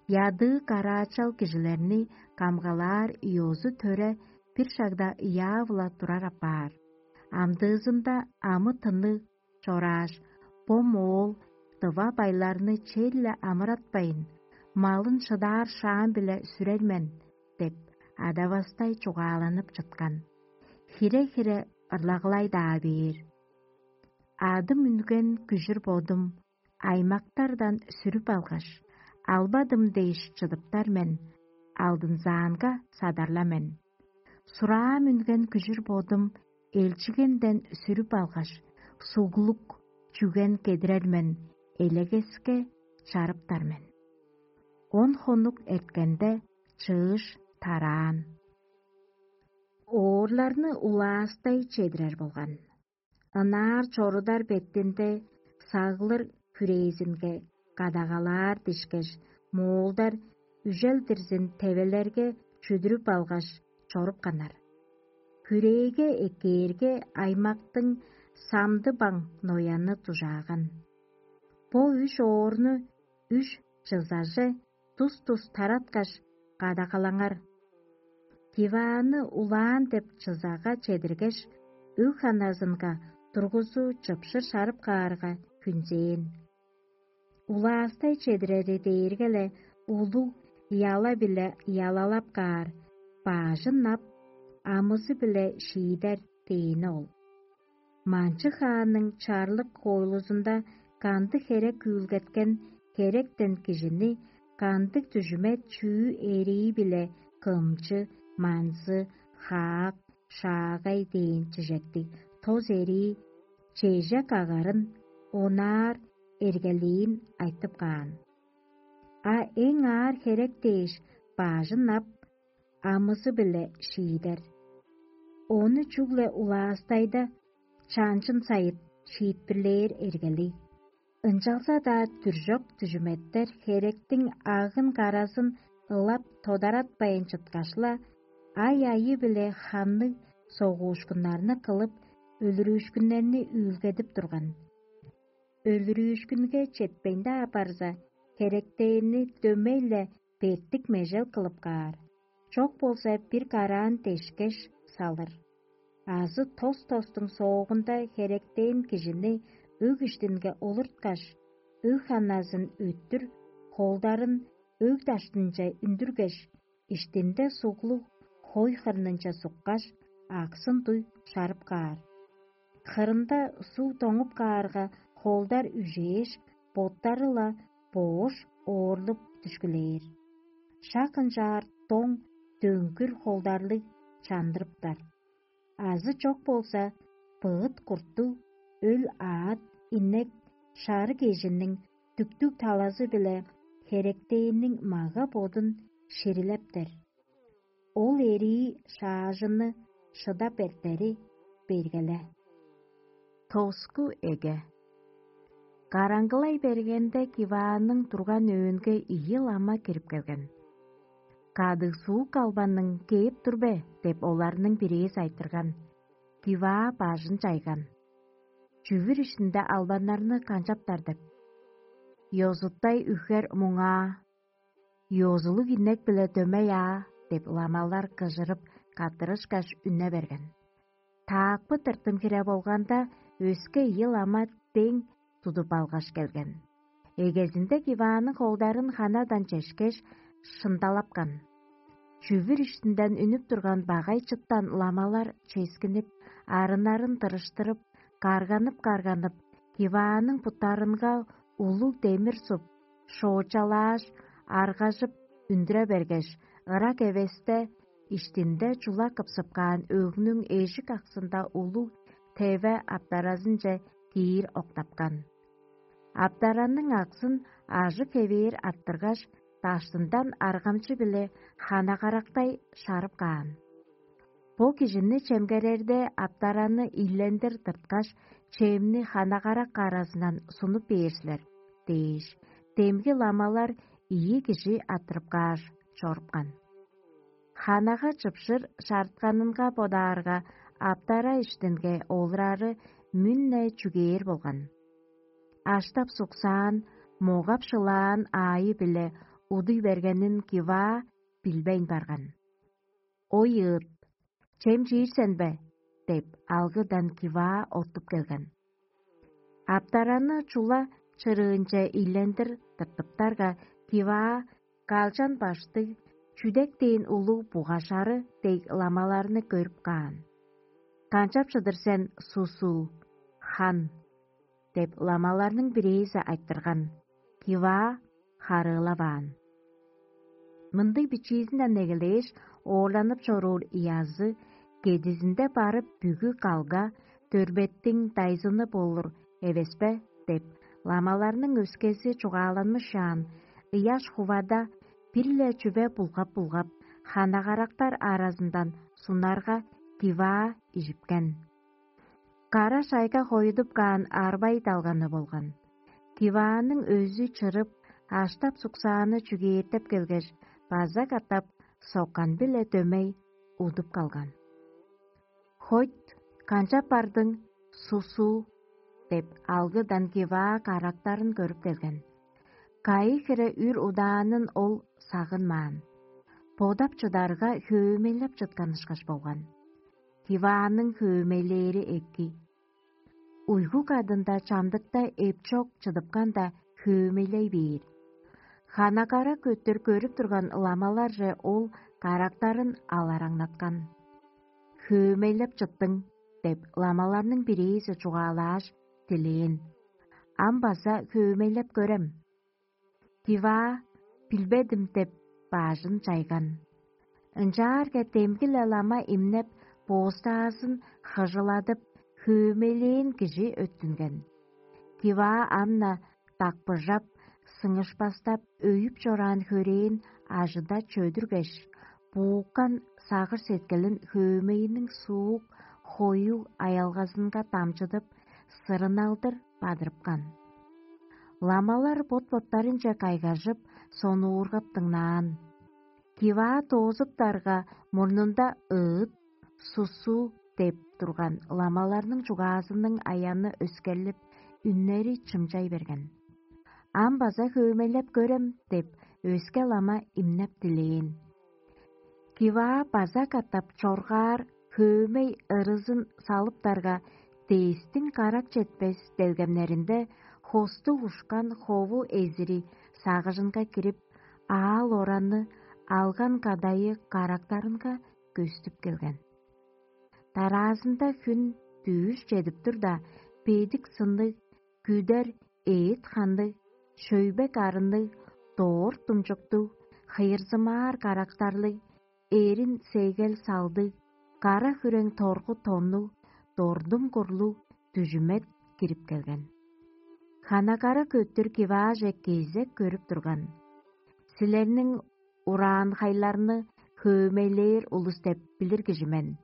Ядыы караачал кижилерни камгалаар ёзу-төре бир шагда ыяап-ла турар апаар. Амдыызында амы-тынныг чорааш, бо моол дыва байларны черле амыратпайн, малын шыдаар шаам-биле сүрер мен деп, адавастай чугааланып чыткан. Хире-хире ырлагылай-даа бээр. Адым үнген күжүр бодум аймактардан сүрүп алгаш, албадым дээш чыдыптар мен, алдынзаанга садарла мен. Сураам үнген күжүр бодум элчигенден сүрүп алгаш, суглук чүген кедирер мен, элегеске чарыптар мен. Он хонук эрткенде, чыыш тараан. Оорларны улаастай чедирер болган. Ынаар чорудар бетинде сагылыр хүрээзинге кадагалаар дишкеш, моолдар үжел-дирзин тевелерге чүдүрүп алгаш, чорупканнар. Хүрээге эккээрге, аймактың самды баң нояны дужааган. Бо үш оорну үш чызаже тус-тус тараткаш, кадагалаңар. Дивааны улаан деп чызага чедиргеш, өг-ханазынга тургузу чыпшыр шарып каарга, хүнзээн. Улаастай чедирери дээрге-ле улуг яла-биле ялалап каар, бажын ап, амызы-биле шиидер дээни ол. Манчы хаанның чарлык хоойлузунда кандыг херек үүлгеткен херектен кижини кандыг дүжүмет чүү эрии-биле кымчы, манзы, хаак, шаагай дээн чижектиг тос эрии чеже кагарын онаар эргелээн айтып каан. А эң аар херек дээш баажын ап, амызы-биле шиидер. Ону чүгле улаастайда чанчын сайыт шиитпирлээр эргелиг. Ынчалза-даа дүржок дүжүметтер херектиң агын-каразын ылап тодаратпайн чыткаш-ла, ай-айы-биле ханныг согуушкуннарны кылып, өлүрүүшкүннерни үүлгедип турган. Өлүрүүшкүнге четпейн-даа барза, херектээни дөмей-ле бертик межел кылып каар, чок болза бир караан дешкеш салыр. Азы тос-тостуң соогунда херектээн кижини өг иштинге олурткаш, өг ханназын өттүр, холдарын өг даштынче үндүргеш, иштинде суглуг хой хырнынче суккаш, аксын дуй шарып каар. Хырында суг доңуп каарга, холдар үжээш, боттары-ла боош оорлуп дүшкүлээр. Шак ынчаар доң дөңгүр холдарлыг чандырыптар. Азы чок болза, быыт курттуг, өл аът, иннек, шарыг эжинниң дүктүг талазы-биле херектээниң мага-бодун ширилептер. Ол эрии шаажынны шыдап эртери бергеле. Тоску эге. Караңгылай бергенде Кивааның турган өөнге ийи лама кирип келген. «Кадыг суук албанның кээп тур бе?» — деп оларның бирээзи айтырган. Киваа бажын чайган. «Чүвүр иштинде албаннарны канчаптар?» — деп. «Ёзуттай үхер муңаа, ёзулуг иннек-биле дөмей аа» — деп ламалар кыжырып, каттырышкаш, үне берген. Таакпы тыртым хире болганда, өске ийи лама дең тудуп алгаш келген. Эгезинде Кивааның холдарын ханадан чешкеш, шындалапкан. Чүвүр иштинден үнүп турган багай чыттан ламалар ческинип, арыннарын тырыштырып, карганып-карганып, Кивааның буттарынга улуг демир суп, шоочалааш, аргажып үндүре бергеш, ырак эвесте, иштинде чула кыпсып каан өгнүң эжик аксында улуг теве аптаразынче киир октапкан. Аптаранның аксын ажык хевээр арттыргаш, даштындан аргамчы-биле хана-карактай шарып каан. «Бо кижини чемгерерде, аптараны ийлендир тырткаш, чемни хана-карак аразындан сунуп бээр силер» — дээш, демги ламалар ийи кижи арттырып кааш, чорупкан. Ханага чыпшыр шарытканынга бодаарга, аптара иштинге олурары мүн-не чүгээр болган. Аштап-суксаан, могап-шылаан аайы-биле удуй бергенин Киваа билбейн барган. «Ой ыыт, чем чиир сен бе?» — деп, алгыдан Киваа оттуп келген. Аптараны чула чырыынче ийлендир тыртыптарга, Киваа калчан баштыг, чүдек дээн улуг бугашары дег ламаларны көрүп каан. «Канчап чыдыр сен, сусул, хан?» — деп ламаларның бирээзи айтырган. Киваа харыылаваан. «Мындыг бичиизинден эгелээш, оорланып чоруур ыязы кедизинде барып, бүгү калга, дөрбеттиң дайзыны болур эвес бе?» — деп, ламаларның өскези чугааланмышаан, ыяш хувада бир-ле чүве булгап-булгап, хана-карактар аразындан сунарга, Киваа ижипкен. Кара шайга хоюдуп каан арбай далганы болган. Кивааның өзү чырып, аштап-суксааны чүгээртеп келгеш, база катап соккан-биле дөмей удуп калган. «Хойт, канчап бардың, сусуу?» — деп, алгыдан Киваа карактарын көрүп келген. Кайы хире үр удаанын ол сагынмаан. Бодап чыдарга, хөөмейлеп чыткан ышкаш болган. Кивааның хөөмейлээри эки. Уйгу кадында чамдыкта эпчок чыдыпкан-даа хөөмейлей бээр. Хана-кара көттүр көрүп турган ламаларже ол карактарын алараңнаткан. «Хөөмейлеп чыттың» — деп, ламаларның бирээзи чугаалааш, дилээн. «Ам база хөөмейлеп көрем». Киваа: «Билбедим» — деп, бажын чайган. Ынчаарга демги-ле лама имнеп, боостаазын хыжыладып, хөөмейлээн кижи өттүнген. Киваа ам-на дакпыжап, сыңышпастап, өйүп чораан хөрээн ажыда чөдүргеш, бууккан сагыш-сеткилин хөөмейиниң суук, хоюг аялгазынга дамчыдып, сырыналдыр бадырыпкан. Ламалар бот-боттарынче кайгажып, сонуургап дыңнаан. Киваа доозуптарга, мурнунда ыыт, сусуу деп турган ламаларның чугаазының аяны өскерлип, үннери чымчай берген. «Ам база хөөмейлеп көрем» деп, өске лама имнеп дилээн. Киваа база катап чоргаар хөөмей ырызын салыптарга, дээстиң карак четпес делгемнеринде хостуг ушкан хову эзири сагыжынга кирип, аал-оранны алган кадайы карактарынга көстүп келген. Дараазында хүн дүъш чедип турда, бедик сынныг, күдер эът хандыг, шөйбек арынныг, доор думчуктуг, хыйырзымаар карактарлыг, эрин сегел салдыг, кара хүрең торгу тоннуг, дордум курлуг дүжүмет кирип келген. Ханагара көттүр кивааже кезек көрүп турган. «Силерниң ураанхайларны хөөмейлээр улус деп билир кижи мен.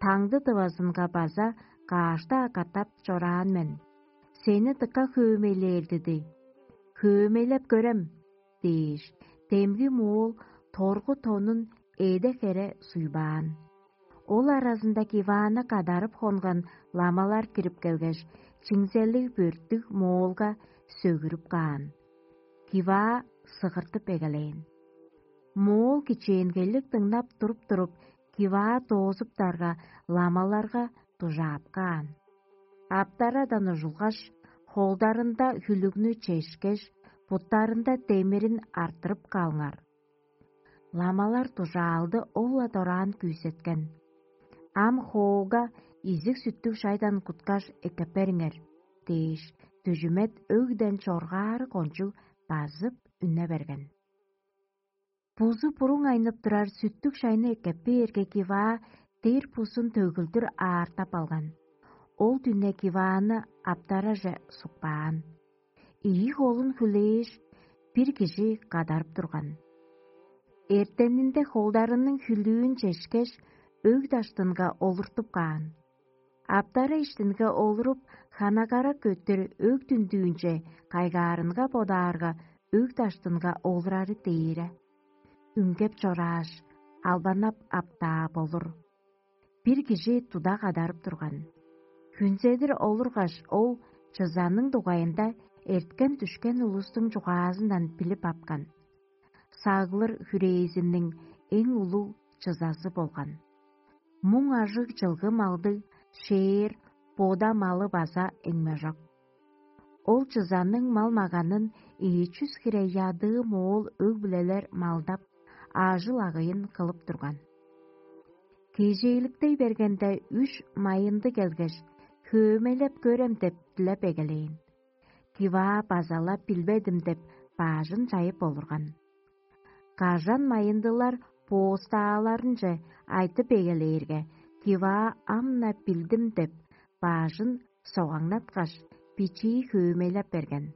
Таңды тывазынга база каашта катап чораан мен. Сени дыка хөөмейлээр диди. Хөөмейлеп көрем» дээш, демги моол торгу тонун эде-хере суйбаан. Ол аразында кивааны кадарып хонган ламалар кирип келгеш, чиңзелиг бөрттүг моолга сөгүрүп каан. Киваа сыгыртып эгелээн. Моол кичээнгейлиг дыңнап туруп-туруп, киваа доозуптарга, ламаларга дужаап каан. Аптарадан ужулгаш, холдарында хүлүгнү чешкеш, буттарында демирин арттырып каалыңар. Ламалар дужаалды ол-ла дораан күүсеткен. «Ам хоога изиг-сүттүг шайдан куткаш эккеп бериңер» дээш, дүжүмет өгден чоргаары кончуг базып үнне берген. Бузу буруң айнып турар сүттүг шайны эккеп бээрге, киваа дер бузун төгүлдүр аартап алган. Ол дүне кивааны аптараже сукпаан. Ийи холун хүлээш, бир кижи кадарып турган. Эртенинде холдарының хүлүүн чешкеш, өг даштынга олуртуп каан. Аптара иштинге олуруп, ханагара көттүр өг дүндүүнче кайгаарынга бодаарга, өг даштынга олурары дээре. Үнгеп чорааш, албанап аптаа болур. Бир кижи туда кадарып турган. Хүнзедир олургаш, ол чызаның дугайында эрткен-дүшкен улустуң чугаазындан билип апкан. Саглыр хүрээзинниң эң улуг чызазы болган. Муң ажыг чылгы малдыг шээр, бода малы база эңмежок. Ол чызанның мал-маганын ийи чүс хире ядыы моол өг-бүлелер малдап, аажыл-агыйын кылып турган. Кежээликтей бергенде, үш майынды келгеш, хөөмелеп көрем деп дилеп эгелээн. Киваа база-ла билбедим деп, баажын чайып олурган. Кажан майындылар боостааларынче айтып эгелээрге, киваа ам-на билдим деп, баажын согаңнаткаш, бичии хөөмейлеп берген.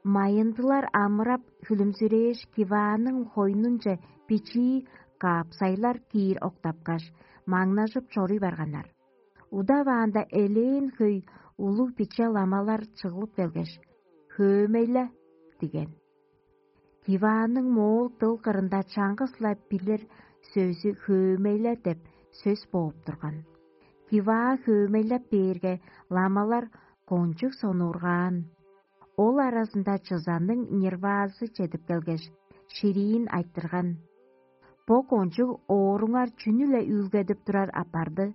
Майындылар амырап, хүлүмзүрээш, кивааның хойнунче бичии каапсайлар киир октапкаш, маңнажып чоруй барганнар. Удаваанда элээн хөй улуг биче ламалар чыглып келгеш: «Хөөмейле!» – диген. Кивааның моол дыл кырында чаңгыс-ла билир сөзү «хөөмейле» деп сөс бооп турган. Киваа хөөмейлеп бээрге, ламалар кончуг сонуургаан. Ол аразында чызанның нирваазы чедип келгеш, шириин айтырган: «Бо кончуг ооруңар чүнү-ле үүлгедип турар апарды?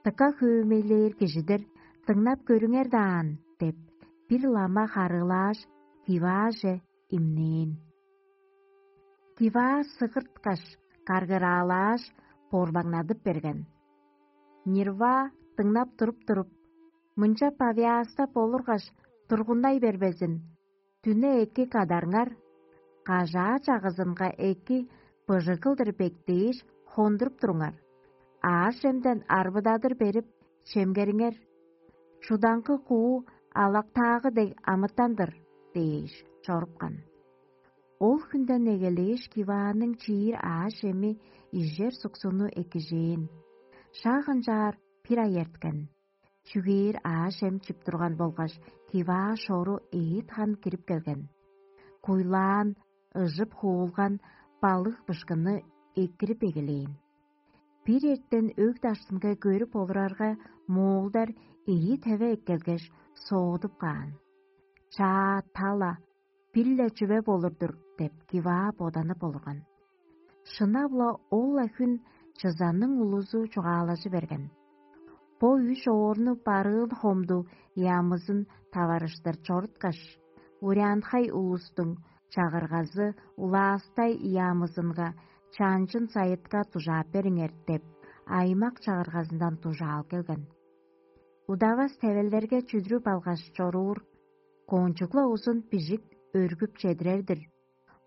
Дыка хөөмейлээр кижи-дир, дыңнап көрүңер даан» – деп, бир лама харыылааш, кивааже имнээн. Киваа сыгырткаш, каргыраалааш, борбаңнадып берген. Нирваа дыңнап туруп-туруп: «Мынча павиаста болургаш, тургундай бербезин. Дүне эки кадарыңар, кажаа чагызынга эки быжыг кылдыр бектээш, хондуруп туруңар. аъш-чемден арбыдадыр берип, чемгериңер. Чудаңгы куу алактаагы дег амытан-дыр» – дээш чорупкан. Ол хүнден эгелээш, Кивааның чиир аъш-чеми ижер суксуну экижээн. Шак ынчаар бир ай эрткен. Чүгээр аъш-чем чип турган болгаш, Киваа шору эът хан кирип келген. Куйлаан, ыжып хуулган балык бышкынны экирип эгелээн. Бир эртен өг даштынга көрүп олурарга, моолдар ийи теве эккелгеш, соодуп каан. «Чаа, тала, бир-ле чүве болур-дур» – деп, Киваа боданып олурган. Шынап-ла, ол-ла хүн чызанның улузу чугаалажы берген. Бо үш оорну барыын хомду ямызын таварыштыр чоруткаш, урянхай улустуң чагыргазы улаастай ямызынга чанчын сайытка дужаап бериңер деп, аймак чагыргазындан дужаал келген. Удавас тевелдерге чүдүрүп алгаш чоруур, кончугла узун бижик өргүп чедирер-дир.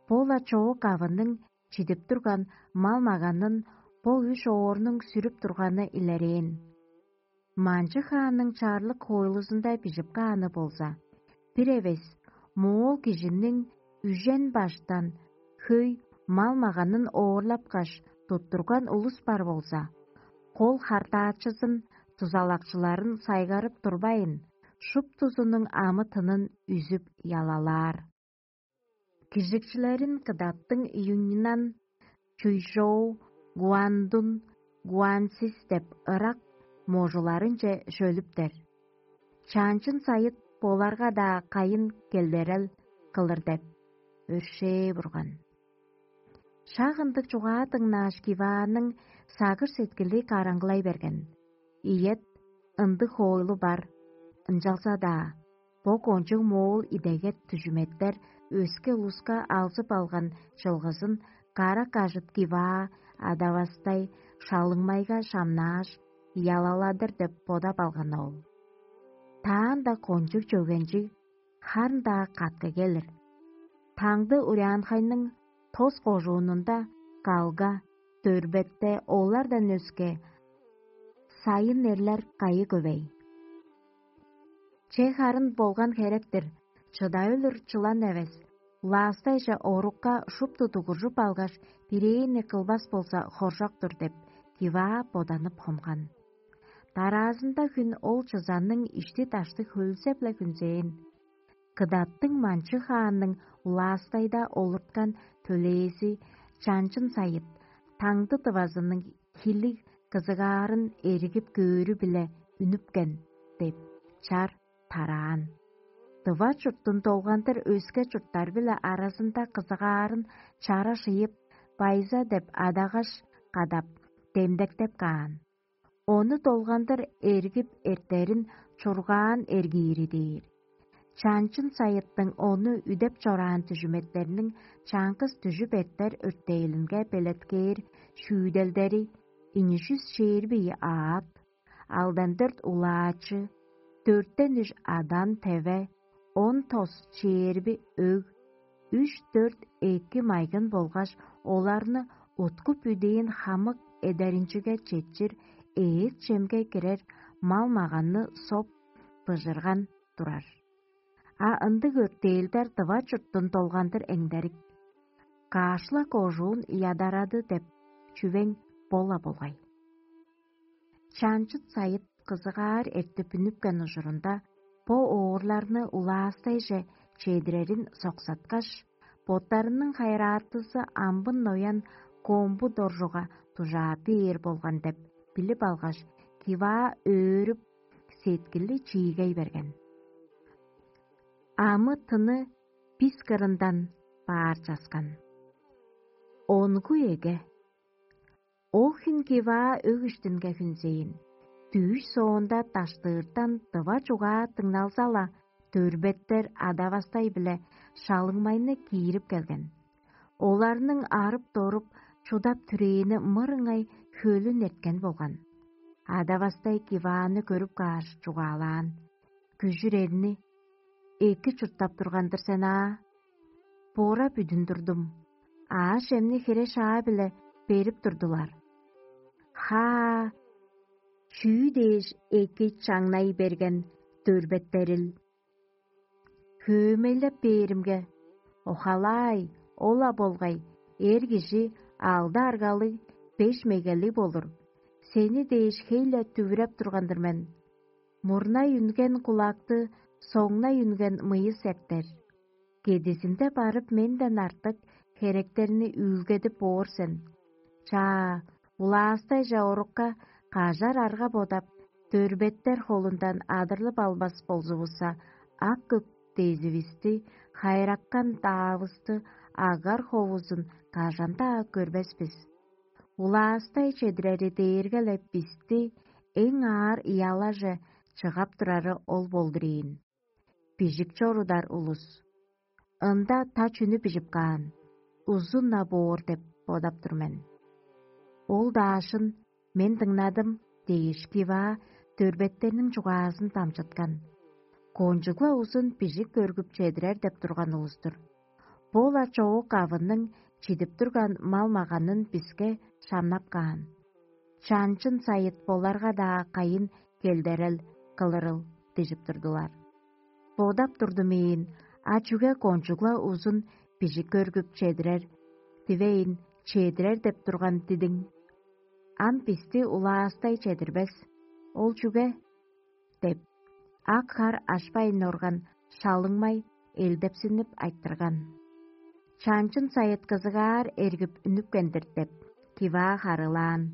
Бо-ла чоок авының чидип турган мал-маганын бо үш оорнуң сүрүп турганы илерээн. Манчы хаанның чарлык хоойлузунда бижип кааны болза, бир эвес моол кижиниң үжен баштан хөй мал-маганын оорлапкаш туттурган улус бар болза, кол хартаачызын, дузалакчыларын сайгарып турбайн, шуптузунуң амы-тынын үзүп ялалаар. Кижикчилерин кыдаттың Юньнан, Чуйжоу, Гуандун, Гуансис деп ырак можуларынче шөлүптер. Чаанчын сайыт боларга-даа кайын келдерел кылыр деп өршээ бурган. Шак ындыг чугаа дыңнааш, Кивааның сагыш-сеткили караңгылай берген. Ийет, ындыг хоойлу бар, ынчалза-даа бо кончуг моол идегет дүжүметтер өске улуска алзып алган чылгызын кара кажыт Киваа адавастай шалыңмайга шамнааш, ялаладыр деп бодап алган ол. Таанда кончуг чөгенчиг харын-даа катка келир. Таңды урянхайның тос кожуунунда калга, дөрбетте олардан өске сайын эрлер кайы көвей. Че харын болган херек-тир, чыда өлүр чылан эвес, улаастайже орукка шупту дугуржуп алгаш, бирээни кылбас болза, хоржок-тур деп, Киваа боданып хонган. Дараазында хүн ол чызанның ишти-дашты хөлзеп-ле хүнзээн. Кыдаттың манчы хаанның улаастайда олурткан төлээзи Чанчын Сайыт таңды тывазының хилиг кызыгаарын эргип көөрү-биле үнүпкен деп чар тараан. Дыва чурттун долгандыр өске чурттар-биле аразында кызыгаарын чара шыйып, байза деп адагаш кадап, демдектеп каан. Ону долгандыр эргип эртерин чургаан эргиири дээр. Чанчын Сайыттың ону үдеп чораан дүжүметтерниң чаңгыс дүжүп эртер өртээлинге белеткээр шүүделдери: ийи чүс чээрби ийи аът, алдан дөрт улаачы, дөртен үш адан теве, он тос чээрби өг, үш-дөрт эки майгын болгаш оларны уткуп үдээн хамык эдеринчиге четчир эът-чемге кирер мал-маганны соп быжырган турар. А ындыг өртээлдер дыва чурттун долгандыр эңдерик. Каашла кожуун ядарады деп чүвең бо-ла болгай. Чанчыт Сайыт кызыгаар эртип үнүпкен ужурунда бо оорларны улаастайже чедирерин соксаткаш, боттарының хайыраатызы амбын ноян комбу доржуга дужаап бээр болган деп билип алгаш, Киваа өөрүп, сеткили чиигей берген. Амы-тыны бис кырындан баар часкан. Онгу эге. Ол хүн Киваа өг иштинге хүнзээн. Дүъш соонда даштыыртан дыва чугаа дыңналза-ла, дөрбеттер адавастай-биле шалыңмайны киирип келген. Оларның арып-доруп, чудап-түрээни мырыңай хөлүн эрткен болган. Адавастай Кивааны көрүп кааш, чугаалаан: «Күжүр эрни эки чурттап турган-дыр сен аа. Бора бүдүн турдум. Аъш-чемни хире-шаа-биле берип турдулар. Хаа, чүү дээш эки чаңнай берген дөрбеттерил. Хөөмейлеп бээримге, охалаай, ол-ла болгай, эр кижи алды аргалыг, беш мегелиг болур. Сени дээш хей-ле дүвүреп турган-дыр мен. Мурнай үнген кулакты, соңнай үнген мыйыс эртер. Кедизинде барып менден артык херектерни үүлгедип боор сен. Чаа, улаастайже орукка кажар арга бодап, дөрбеттер холундан адырлып албас болзувусса, ак-көк дезивисти, хайраккан даавысты, агар ховузун кажан-даа көрбес бис. Улаастай чедирери дээрге-ле бисти эң аар ыялаже чыгап турары ол болдур ийин. Бижик чорудар улус. Ында та чүнү бижип каан, узун-на боор деп бодап тур мен. Ол даашын мен дыңнадым дээш, Киваа дөрбеттерниң чугаазын дамчыткан. Кончуг-ла узун бижик көргүп чедирер деп турган улус-тур. Бо-ла чоок авынның чидип турган мал-маганын биске шамнап каан. Чанчын сайыт боларга-даа кайын келдерел кылырыл дижип турдулар. Бодап турдум ийин, а чүге кончугла узун бижик көргүп чедирер, дивейн чедирер деп турган дидиң? Ам бисти улаастай чедирбес. Ол чүге? Деп, ак хар ашпайн орган шалыңмай элдепсинип айтырган. Чанчын сайыт кызыгаар эргип үнүпкен-дир деп, Киваа харыылаан.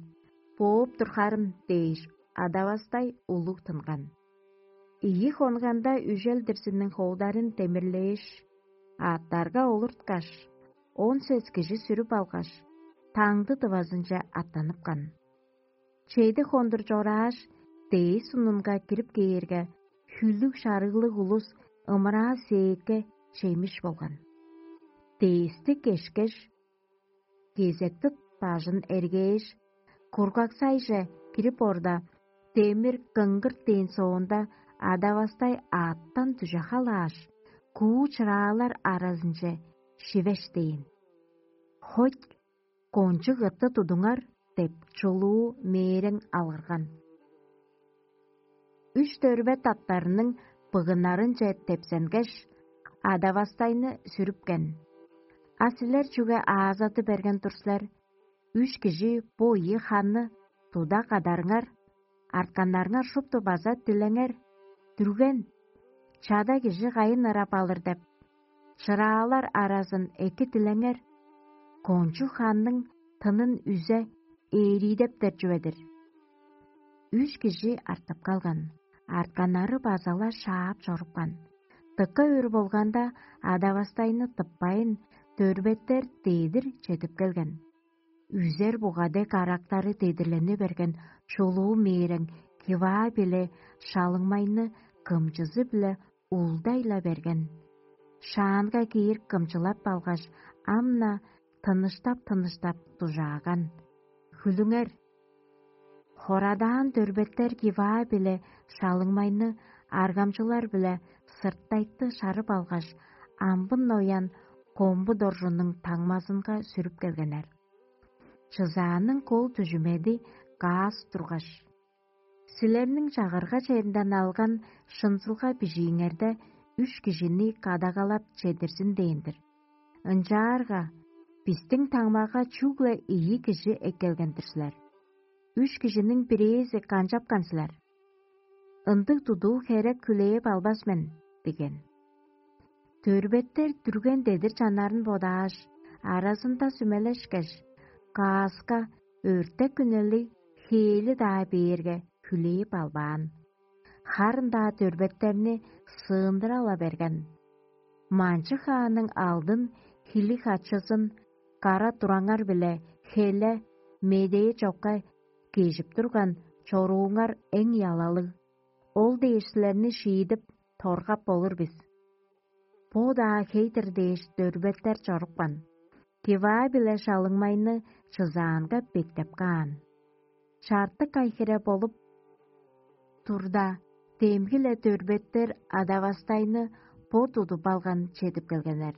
Бооп турхарым дээш, адавастай улуг тынган. Ийи хонганда үжел-дирзиниң ховдарын демирлээш, аъттарга олурткаш, он сес кижи сүрүп алгаш, таңды дывазынче аттаныпкан. Чеди хондур чорааш, дээс сунунга кирип кээрге, хүлүг-шарыглыг улус ымыраа сээкке чемиш болган. Дээсти кешкеш, кезектит бажын эргээш, кургаксайже кирип орда, демир кыңгырт дээн соонда, адавастай аъттан дүже халааш, куу чыраалар аразынче шивеш дээн. «Хоть, кончуг ытты тудуңар» деп, чулуу мээрең алгырган. Үш дөрбе таптарының быгыннарынче тепсенгеш, адавастайны сүрүпкен. А силер чүге аазаты берген тур силер? Үш кижи бо ийи ханны туда кадарыңар, артканнарыңар шупту база дилеңер. Дүрген, чада кижи кайын ырап алыр деп, чыраалар аразын эки дилеңер. Кончуг ханның тынын үзе ээриидептер чүве-дир. Үш кижи артып калган, артканнары база-ла шаап чорупкан. Дыка өр болганда, адавастайны тыппайн, дөрбеттер дедир чедип келген. Үзер буга дег арактары дедирлени берген чулуу мээрең Киваа биле Шалыңмайны кымчызы-биле улдай-ла берген. Шаанга киир кымчылап алгаш, ам-на тыныштап-тыныштап дужааган. «Хүлүңер!» Хорадаан дөрбеттер Киваа биле Шалыңмайны аргамчылар-биле сыртайтты шарып алгаш, амбын ноян комбу доржунуң таңмазынга сүрүп келгеннер. Чызааның кол дүжүмеди каас тургаш: «Силерниң чагырга черинден алган шынзылга бижииңерде үш кижини кадагалап чедирзин дээн-дир. Ынчаарга бистиң таңмага чүгле ийи кижи эккелген-дир силер. Үш кижиниң бирээзи канчапкан силер? Ындыг тудуу херек хүлээп албас мен» – диген. Дөрбеттер дүрген дедир чаннарын бодааш, аразында сүмелешкеш, кааска өртек үнелиг хээли-даа бээрге хүлээп албаан. Харын-даа дөрбеттерни сыындыра-ла берген. Манчы хааның алдын хилиг хачызын кара тураңар-биле хеле медээ чокка кежип турган чорууңар эң ялалыг. Ол дээш силерни шиидип, торгап болур бис. Бо-даа хей-дир дээш, дөрбеттер чорупкан. Киваа биле Шалыңмайны чызаанга бектеп каан. Чартык ай хире болуп турда, демги-ле дөрбеттер Адавастайны бо тудуп алган чедип келгеннер.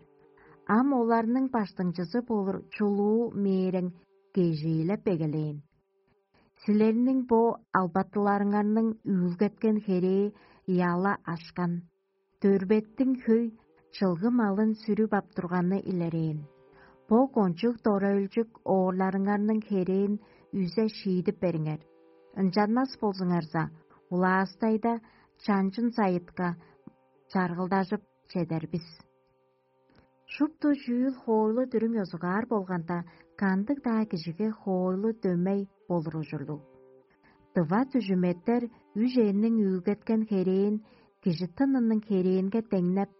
Ам оларның баштыңчызы болур чулуу мээрең кежээлеп эгелээн. Силерниң бо албатыларыңарның үүлгеткен херээ ыяла ашкан, дөрбеттиң хөй чылгы малын сүрүп ап турганы илерээн. Бо кончуг дора-өлчүк оорларыңарның херээн үзе шиидип бериңер. Ынчанмас болзуңарза, улаастайда чанчын сайытка чаргылдажып чедер бис. Шупту чүүл хоойлу-дүрүм ёзугаар болганда, кандыг-даа кижиге хоойлу дөмей болур ужурлуг. Дыва дүжүметтер үжээнниң үүлгеткен херээн кижи тынының херээнге деңнеп,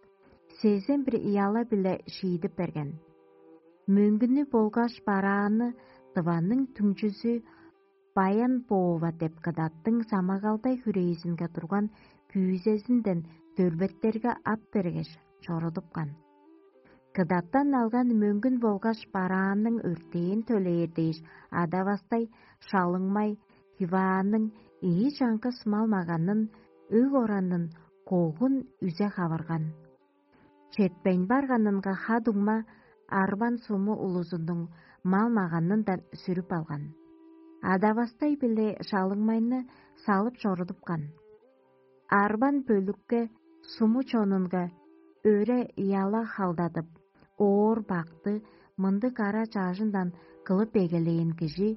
сезен бир ыяла-биле шиидип берген. Мөңгүнү болгаш бараанны дываның түңчүзү Баян Боова деп кыдаттың самагалдай хүрээзинге турган күүзезинден дөрбеттерге ап бергеш, чорудупкан. Кыдаттан алган мөңгүн болгаш бараанның өртээн төлээр дээш, адавастай шалыңмай Хивааның ийи чаңгыс мал-маганын, өг оранын, когун үзе хавырган. Четпейн барганынга ха-дуңма арбан суму улузунуң мал-маганындан сүрүп алган. Адавастай-биле шалыңмайны салып чорудупкан. Арбан бөлүкке суму чонунга өре ыяла халдадып, оор бакты мындыг кара чаажындан кылып эгелээн кижи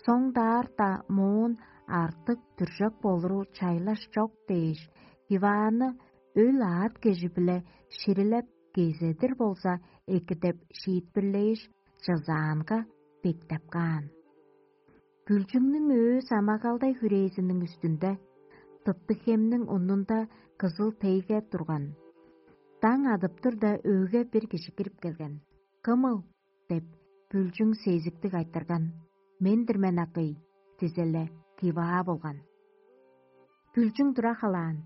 соңдаарта моон артык дүржек болуру чайлаш чок дээш, Иваанны өл аът кежи-биле ширилеп, кезедир болза эки деп шиитпирлээш, чызаанга бектеп каан. Күлчүңнүң өө самагалдай хүрээзиниң үстүнде, тыптыг хемниң унунда кызыл тейге турган. Даң адып турда, өөгө бир кижи кирип келген. «Кымыл?» — деп, Бүлчүң сезиктиг айтырган. «Мен-дир мен, акый», — дизеле, Киваа болган. Бүлчүң тура халаан.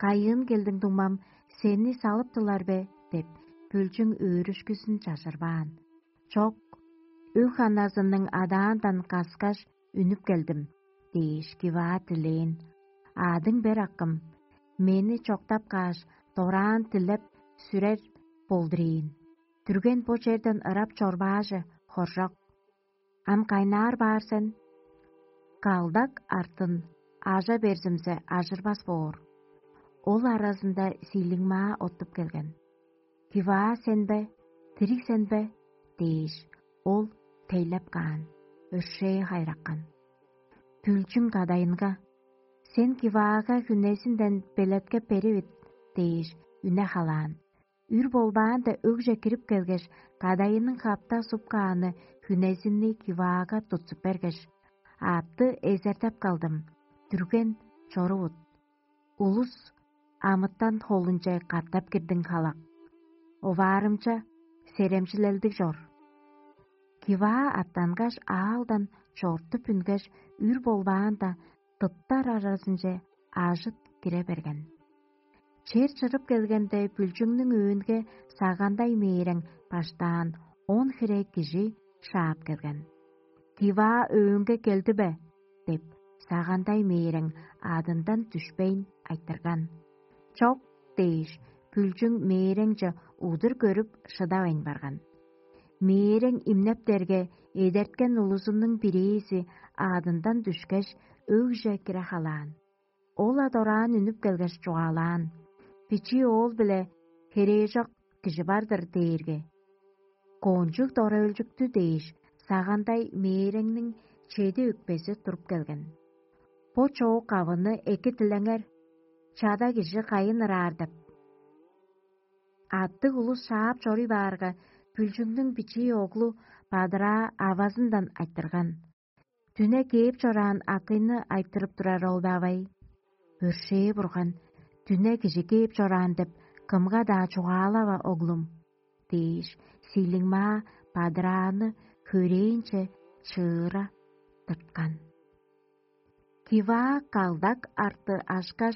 «Кайыын келдиң, дуңмам, сени салыптылар бе?» — деп, Бүлчүң өөрүшкүзүн чажырбаан. «Чок, өг-ханазының адаандан каскаш, үнүп келдим», — дээш, Киваа дилээн. «Аадың бер, акым, мени чоктап кааш, дораан дилеп сүрер болдур ийин. Дүрген бо черден ырап чорбаажы, хоржок. Ам кайнаар баар сен?» «Калдак артын ажа берзимзе, ажырбас боор». Ол аразында Сиилиңмаа оттуп келген. «Киваа сен бе? Дириг сен бе?» — дээш, ол тейлеп каан, өршээ хайраккан. Бүлчүң кадайынга: «Сен Киваага хүнезинден белеткеп беривит» — дээш, үне халаан. Үр болбаанда, өгже кирип келгеш, кадайының хапта суп кааны хүнезинни Киваага тутсуп бергеш: «Аътты эзертеп калдым, дүрген, чорувут. Улус амытан холунче катап кирдиң, халак. Оваарымча, серемчилелдиг чор». Киваа аттангаш, аалдан чортуп үнгеш, үр болбаанда, тыптар аразынче ажыт кире берген. Чер чырып келгенде, Бүлчүңнүң өөнге сагандай мээрең баштаан он хире кижи шаап келген. «Киваа өөнге келди бе?» — деп, сагандай мээрең аадындан дүшпейн айтырган. «Чок» — дээш, Бүлчүң мээреңче удур көрүп, шыдавайн барган. Мээрең имнептерге, эдерткен улузунуң бирээзи аадындан дүшкеш, өгже кире халаан. Ол-ла дораан үнүп келгеш, чугаалаан: «Бичии оол-биле херээжок кижи бар-дыр» — дээрге. «Кончуг дора-өлчүктү» — дээш, сагандай мээреңниң чеди өкпези туруп келген. «Бо чоок авыны эки дилеңер, чада кижи кайын ыраар» — деп. Аттыг улус шаап чоруй баарга, Бүлчүңнүң бичии оглу бадыраа авазындан айтырган: «Дүне кээп чораан акыйны айтырып турар ол бе, авай?» «Өршээ Бурган, дүне кижи кээп чораан деп кымга-даа чугаалава, оглум» — дээш, Сиилиңмаа бадырааны хөрээнче чыыра тырткан. Киваа калдак арты ашкаш,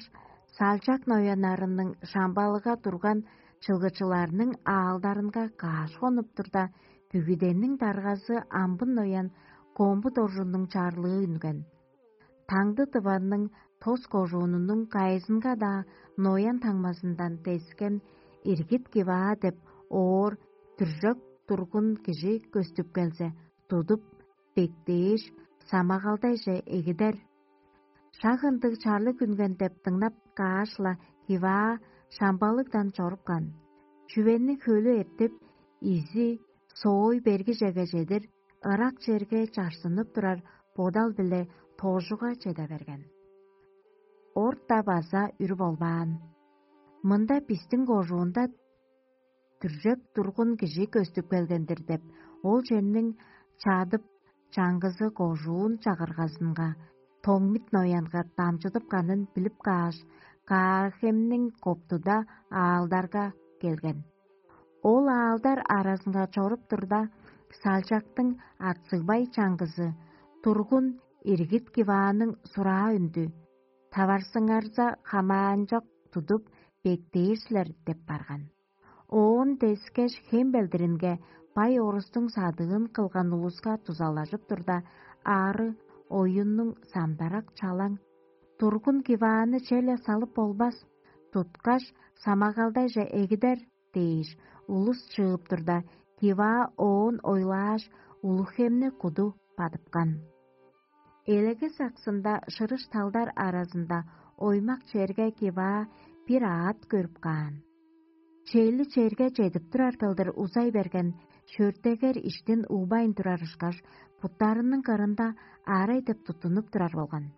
салчак нояннарының шамбалыга турган чылгычыларның аалдарынга каш хонуп турда, бүгүдениң даргазы амбын ноян Комбу доржунуң чарлыы үнген. Таңды дыванның тос кожуунунуң кайызынга-даа ноян таңмазындан дескен иргит Киваа деп оор дүржек тургун кижи көстүп келзе, тудуп, бектээш, самагалдайже эгидер. Шак ындыг чарлыг үнген деп дыңнап кааш-ла, Хиваа шамбалыгдан чорупкан. Чүвени хөлү эртип, изи соой бергижеге чедир ырак черге чарсынып турар бодал-биле тоожуга чеде берген. Орта база үр болбаан. Мында бистиң кожуунда дүржеп тургун кижи көстүп келген-дир деп, ол черниң чадып чаңгызы кожуун чагыргазынга томмит ноянга дамчыдыпканын билип кааш, Каархемниң коптуда аалдарга келген. Ол аалдар аразынга чоруп турда, салчактың ацыгбай чаңгызы тургун иргит Кивааның сураа үндү: «Таварсыңарза, хамаанчок тудуп, бектээр силер» – деп барган. Оон дескеш хем белдиринге бай орустуң садыын кылган улуска дузалажып турда, ары оюннуң самдарак чалаң: «Тургун Кивааны черле салып болбас, туткаш, самагалдайже эгидер» – дээш, улус чыып турда, Киваа оон ойлааш, улуг хемни куду бадыпкан. Элеге саксында шырыш талдар аразында оймак черге Киваа бир аът көрүп каан. Чели черге чедип турар кылдыр узай берген шөртегер иштин уубайн турар ышкаш, буттарының кырында арай деп туттунуп турар болган.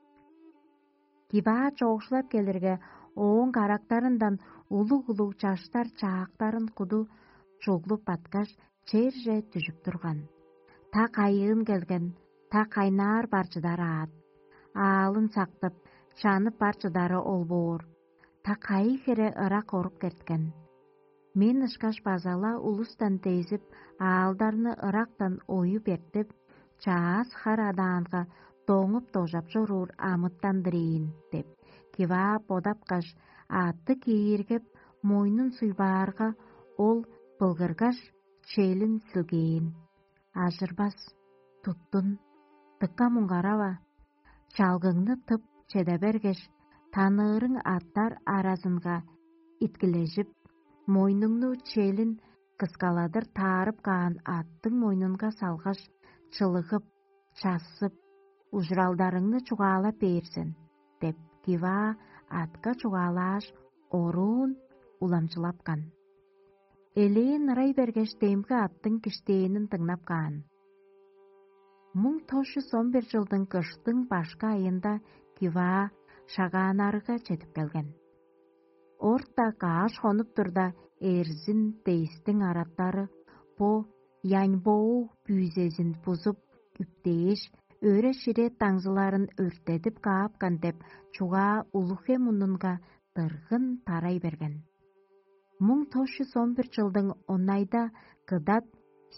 Киваа чоокшулап келирге, ооң карактарындан улуг-улуг чаштар чаактарын куду чуглуп баткаш, черже дүжүп турган. Та кайыын келген, та кайнаар бар чыдар аът. Аалын сактып, чанып бар чыдары ол боор. Та кайы хире ырак орук эрткен. Мен ышкаш база-ла улустан дезип, аалдарны ырактан оюп эртип, чаас хар адаанга доңуп дожап чоруур амытан-дыр ийин деп, Киваа бодапкаш, аътты кииргеп, мойнун суйбаарга, ол былгыргаш, челин силгээн. Ажырбас, туттун, дыка муңгарава, чалгыңны тып чеде бергеш, таныырың аттар аразынга иткилежип, мойнуңну челин кыскаладыр таарып каан аттың мойнунга салгаш, чылыгып, чассып, ужуралдарыңны чугаалап бээр сен деп, Киваа атка чугаалааш, оруун уламчылапкан. Элээн ырай бергеш, демги аттың киштээнин дыңнап каан. Муң тос чүс он бир чылдың кыштың башкы айында Киваа Шагаанарыга чедип келген. Орта кааш хонуп турда, Эрзин, Дейстиң араттары бо Яньбоу бүүзезин бузуп, үптээш, өре-шире даңзыларын өрттедип каапкан деп чугаа улуг-хем мунунга дыргын тарай берген. Муң тос чүс он бир чылдың онайда Кыдат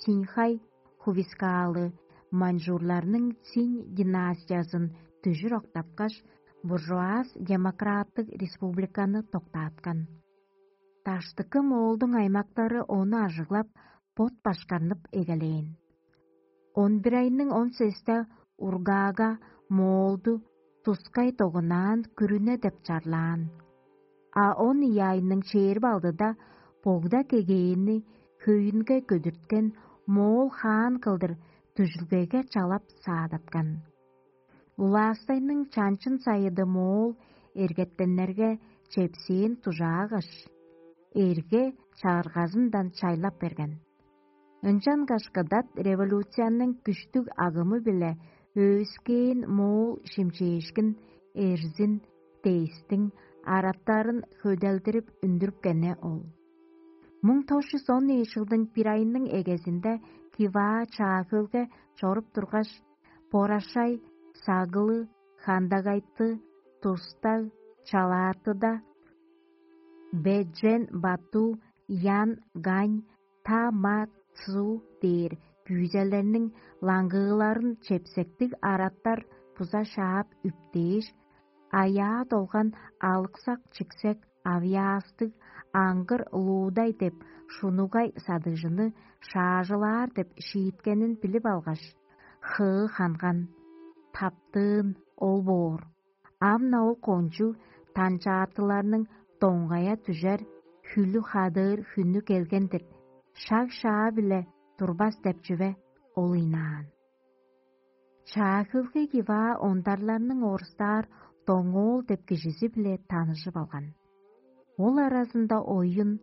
Синьхай хувискаалы маньчжурларның Цинь династиязын дүжүр октапкаш, буржуаз-демократтыг республиканы доктааткан. Даштыкы Моолдуң аймактары ону ажыглап, бот башкарнып эгелээн. Он бир айның он сесте Ургаага Моолду тускай догунаан күрүне деп чарлаан. А он ийи айның чээрби алдыда богда кегээни хөйүнге көдүрткен моол хаан кылдыр дүжүлгеге чалап саадаткан. Улаастайның чанчын сайыды моол эргеттеннерге чепсээн дужаагаш, эрге чагыргазындан чайлап берген. Ынчангаш кыдат революцияның күштүг агымы-биле өөскээн моол шимчээшкин Эрзин, Дейстиң араттарын хөделдирип үндүрүпкени ол. Муң тос чүс он ийи чылдың бир айының эгезинде Киваа Чаа-Хөлге чоруп тургаш, Борашай, Сагылы, Хандагайты, Тустаг, Чалаатыда, Беджен, Бату, Ян, Гань, Та, Ма, Цу дээр күүзелерниң лаңгыыларын чепсектиг араттар буза шаап үптээш, аяа долган алыксак-чиксек авьяастыг аңгыр луудай деп шунугай садыжыны шаажылаар деп шииткенин билип алгаш, хыы ханган, таптыын ол боор. Ам-на ол кончуг танчаартыларның доңгая дүжер, хүлү хадыыр хүннү келген-дир, шаг-шаа-биле турбас деп чүве ол ыйнаан. Чаа-Хөлге Киваа ондарларның орустаар Доңоол деп кижизи-биле таныжып алган. Ол аразында оюн,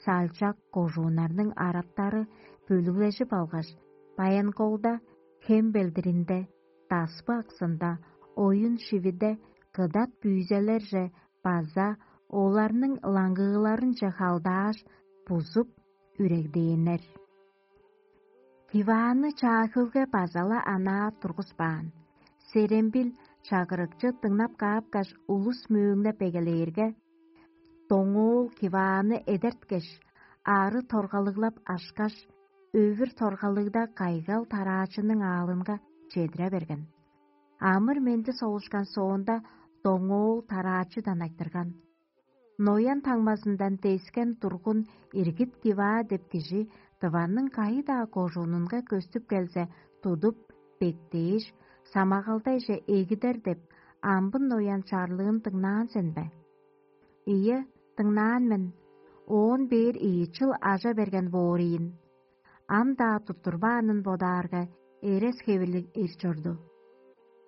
салчак кожууннарның араттары бөлүглежип алгаш, Баян-Колда, Хем белдиринде, Даспы аксында, оюн шивиде кыдат бүүзелерже база оларның лаңгыыларынче халдааш, бузуп, үрегдээннер. Кивааны Чаа-Хөлге база-ла анаа тургуспаан. Серембил чагырыкчы дыңнап каапкаш, улус мөөңнеп эгелээрге, Доңоол Кивааны эдерткеш, ары торгалыглап ашкаш, өвүр торгалыгда кайгал тараачының аалынга чедире берген. Амыр-менди солушкан соонда, Доңоол тараачыдан айтырган: «Ноян таңмазындан дескен тургун Иргит Киваа деп кижи Тываның кайы-даа кожуунунга көстүп келзе, тудуп, бектээш, самагалдайже эгидер деп, амбын ноян чарлыын дыңнаан сен бе?» «Ийе, дыңнаан мен. Оон бээр ийи чыл ажа берген боор ийин. Ам-даа туттурбаанын бодаарга, эрес-хевирлиг эр чорду.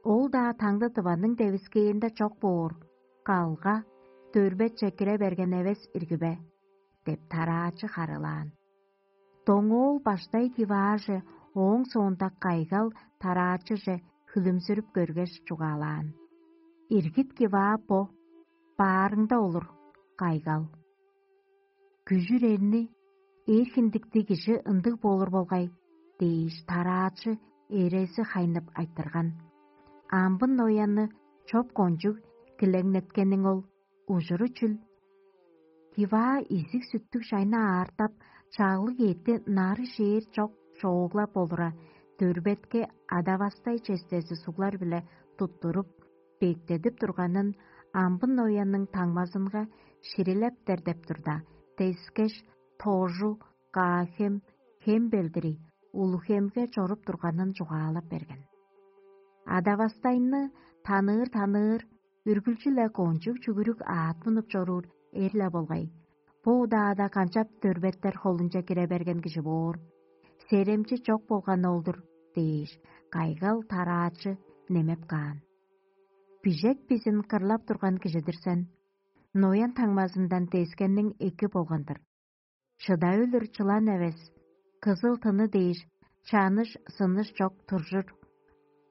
Ол-даа таңды Тываның девискээринде чок боор, калга, дөрбетче кире берген эвес ирги бе?» — деп тараачы харыылаан. Доңоол баштай Кивааже, ооң соонда кайгал тараачыже хүлүмзүрүп көргеш, чугаалаан: «Иргит Киваа бо, баарыңда олур, кайгал». «Күжүр эрни, эр хиндиктиг кижи ындыг болур болгай» — дээш, тараачы эрези хайнып айтырган. «Амбын ноянны чоп кончуг килеңнеткениң ол, ужуру чүл?» Киваа изиг-сүттүг чайны аартап, чаглыг эътти нары шээр чок чооглап олура, дөрбетке адавастай честези суглар-биле туттуруп, бектедип турганын амбын ноянның таңмазынга ширилептер деп турда, дескеш, Тоожу, Каа-Хем, Хем белдири, Улуг-Хемге чоруп турганын чугаалап берген. Адавастайны таныыр-таныыр, үргүлчү-ле кончуг чүгүрүк аът мунуп чоруур эр-ле болгай. Бо удаада канчап дөрбеттер холунче кире берген кижи боор? Серемчи чок болган ол-дур дээш, кайгал тараачы немеп каан. Бижек бизин кырлап турган кижи-дир сен. Ноян таңмазындан дескенниң эки болган-дыр. Шыдавылыр чылан эвес, кызыл тыны дээш, чаныш-сыныш чок туржур.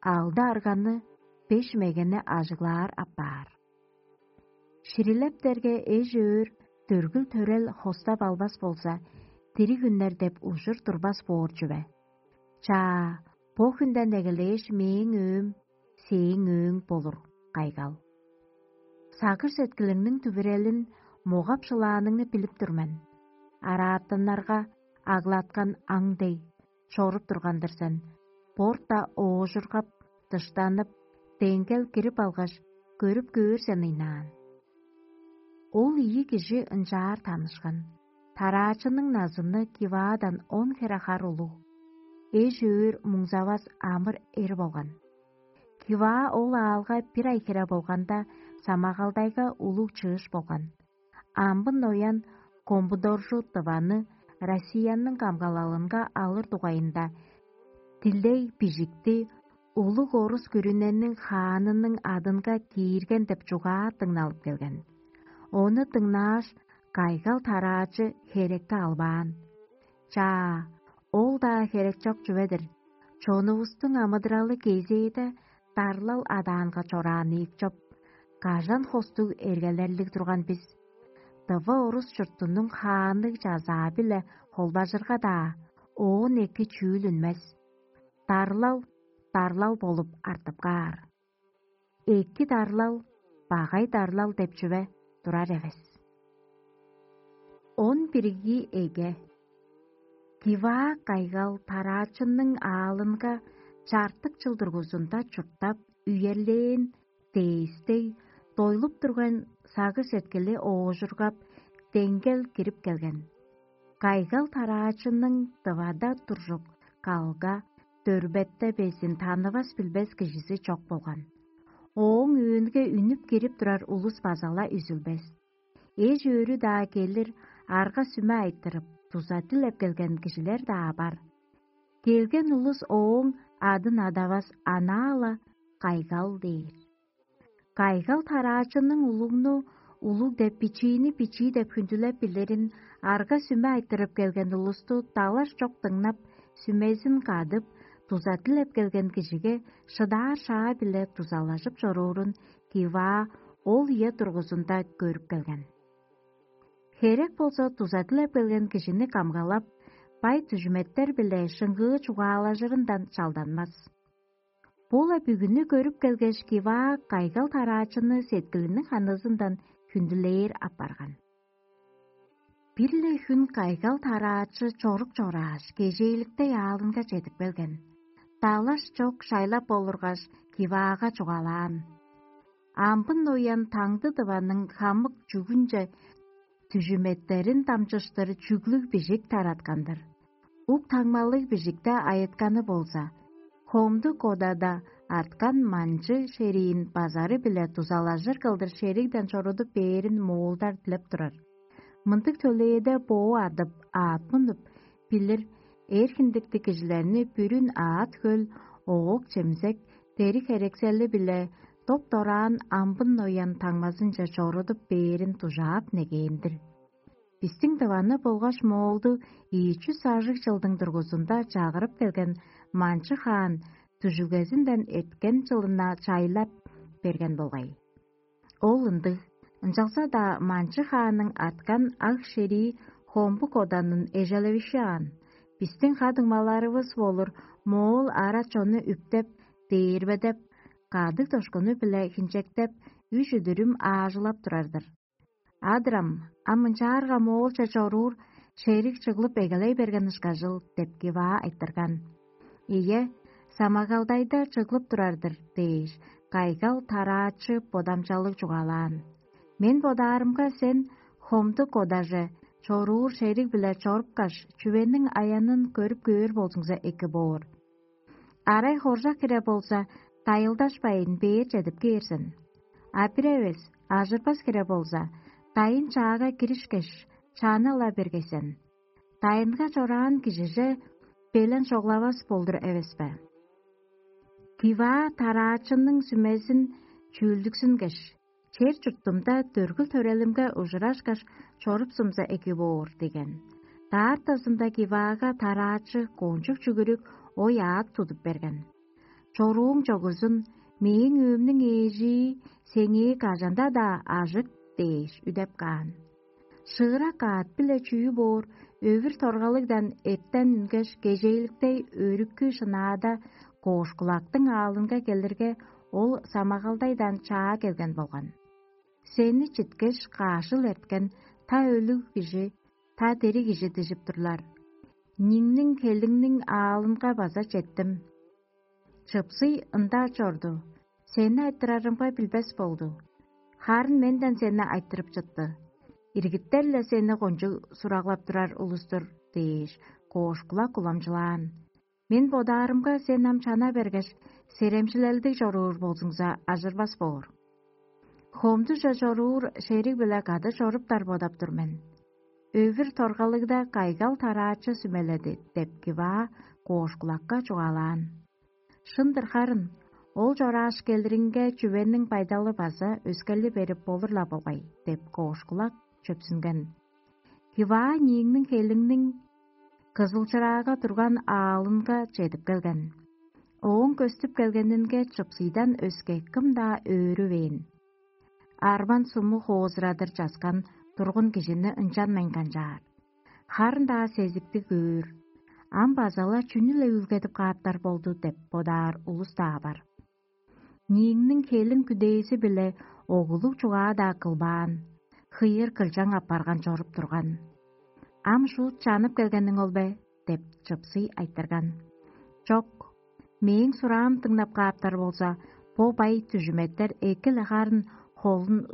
Алды арганы, беш мегени ажыглаар апаар. Ширилептерге эш-өөр, дөргүл-төрел хостап албас болза, дириг үннер деп ужур турбас боор чүве. Чаа, бо хүнден эгелээш мээң өөм сээң өөң болур, кайгал. Сагыш-сеткилиңниң дүвүрелин, могап-шылааныңны билип тур мен. Араатаннарга аглаткан аң дег чоруп турган-дыр сен, борта оожургап, дыштанып, деңгел кирип алгаш, көрүп көөр сен ыйнаан. Ол ийи кижи ынчаар танышкан. Тараачының назыны Киваадан он хере хар улуг, эш-өөр муңзавас амыр эр болган. Киваа ол аалга бир ай хире болганда, самагалдайга улуг чыыш болган. Амбын ноян Комбудоржу Тываны Россияның камгалалынга алыр дугайында дилей бижикти улуг орус күрүнениң хаанының адынга киирген деп чугаа дыңналып келген. Ону дыңнааш, кайгал тараачы херекке албаан. Чаа, ол-даа херек чок чүве-дир. Чонувустуң амыдыралы кезээде дарлал адаанга чораан ийик чоп. Кажан хостуг эргелерлиг турган бис. Дыва орус чуртунуң хаанныг чазаа-биле холбажырга-даа, оон эки чүүл үнмес. Дарлал, дарлал болуп артып каар. Эки дарлал, багай дарлал деп чүве турар эвес. Он бирги эге. Киваа кайгал тараачынның аалынга чартык чыл дургузунда чурттап, үерлээн, дээстей, дойлуп турган сагыш-сеткили оожургап, деңгел кирип келген. Кайгал тараачының дывада туржук калга, дөрбетте безин танывас-билбес кижизи чок болган. Ооң өөнге үнүп кирип турар улус база-ла үзүлбес. Эш-өөрү-даа келир, арга-сүме айтырып, дуза дилеп келген кижилер-даа бар. Келген улус ооң адын адавас анаа-ла кайгал дээр. Кайгал тараачының улугну улуг деп, бичиини бичии деп хүндүлеп билирин арга-сүме айтырып келген улусту далаш чок дыңнап, сүмезин кадып, дуза дилеп келген кижиге шыдаар шаа-биле дузалажып чоруурун Киваа ол ийе тургузунда көрүп келген. Херек болза, дуза дилеп келген кижини камгалап, бай дүжүметтер-биле шыңгыы чугаалажырындан чалданмас. Бо-ла бүгүнү көрүп келгеш, Киваа кайгал тараачыны сеткилиниң ханызындан хүндүлээр апарган. Бир-ле хүн кайгал тараачы чорук чорааш, кежээликтей аалынга чедип келген. Далаш чок шайлап олургаш, Киваага чугаалаан: «Амбын уян таңды дываның хамык чүгүнче дүжүметтерин дамчыштыр чүглүг бижик тараткан-дыр. Ук таңмалыг бижикте айытканы болза, хомду кодада арткан манчы шериин базары-биле дузалажыр кылдыр шеригден чорудуп бээрин моолдар дилеп турар. Мындыг төлээде боо адып, аът мунуп, билир эр хиндиктиг кижилерни бүрүн аът-хөл, оок-чемзек, дериг-херексели-биле доп-дораан амбын ноян таңмазынче чорудуп бээрин дужаап негээн-дир. Бистиң дываны болгаш моолду ийи чүс ажыг чылдың дургузунда чагырып келген Манчы хаан дүжүлгезинден эрткен чылына чайлап берген болгай. Ол ындыг, ынчалза-даа Манчы хаанның арткан аг шерии хомбу коданын эжелевишаан, бистиң ха-дуңмаларывыс болур моол ара чонну үптеп, дээрбедеп, кадыг-дошкуну-биле хинчектеп, үш үдүрүм аажылап турар-дыр. Адырам, ам ынчаарга моолче чоруур шериг чыглып эгелей берген ышкажыл» — деп Киваа айтырган. «Ийе, самагалдайда чыглып турар-дыр» — дээш, кайгал тараачы бодамчалыг чугаалаан. «Мен бодаарымга, сен хомду кодаже чоруур шериг-биле чорупкаш, чүвениң аянын көрүп көөр болзуңза эки боор. Арай хоржак хире болза, дайылдашпайн бээр чедип кээр сен. А бир эвес, ажырбас хире болза, дайын чаага киришкеш, чаана-ла бергей сен. Дайынга чораан кижиже белен чоглавас болдур эвес бе?» Киваа тараачының сүмезин чүүлдүксүнгеш: «Чер-чуртумда дөргүл-төрелимге ужурашкаш, чорупсумза эки боор» — деген. Даартазында Киваага тараачы кончуг чүгүрүк ой-аът тудуп берген. «Чорууң чогузун, мээң өөмнүң ээжии сеңээ кажан-даа ажык» — дээш үдеп каан. Шыырак аът-биле чүү боор, өвүр торгалыгдан эртен үнгеш, кежээликтей өрүккү шынаада Коошкулактың аалынга келирге, ол самагалдайдан чаа келген болган. Сени читкеш, каажыл эрткен та өлүг кижи, та дириг кижи дижип турлар. Ниңниң хелиңниң аалынга база четтим. Чыпсый ында чорду. Сени айтырарымга билбес болду. Харын менден сени айтырып чытты. Иргиттер-ле сени кончуг сураглап турар улус-тур» — дээш, Коошкулак уламчылаан. «Мен бодаарымга, сен ам чана бергеш, серемчилелдиг чоруур болзуңза, ажырбас боор. Хомдуже чоруур шериг-биле кады чоруптар бодап тур мен». Өвүр торгалыгда кайгал тараачы сүмеледи деп Киваа Коошкулакка чугаалаан. «Шын-дыр харын, ол чорааш келиринге чүвениң байдалы база өскели берип болур-ла болгай» — деп Коошкулак чөпсүнген. Киваа нииңниң хелиңниң кызылчыраага турган аалынга чедип келген. Ооң көстүп келгенинге чыпсыйдан өске кым-даа өөрүвээн. Арван суму хоозурадыр часкан тургун кижини ынчанмайн канчаар. Харын-даа сезиктиг өөр. Ам база-ла чүнү-ле үүлгедип кааптар болду деп бодаар улус-даа бар. Нииңниң хелиң күдээзи-биле оглуг чугаа-даа кылбаан, хыйыр кылчаң апарган чоруп турган. «Ам шуут чанып келгениң ол бе?» — деп чыпсый айтырган. «Чок, мээң сураам дыңнап кааптар болза, бо бай дүжүметтер эки-ле харын холун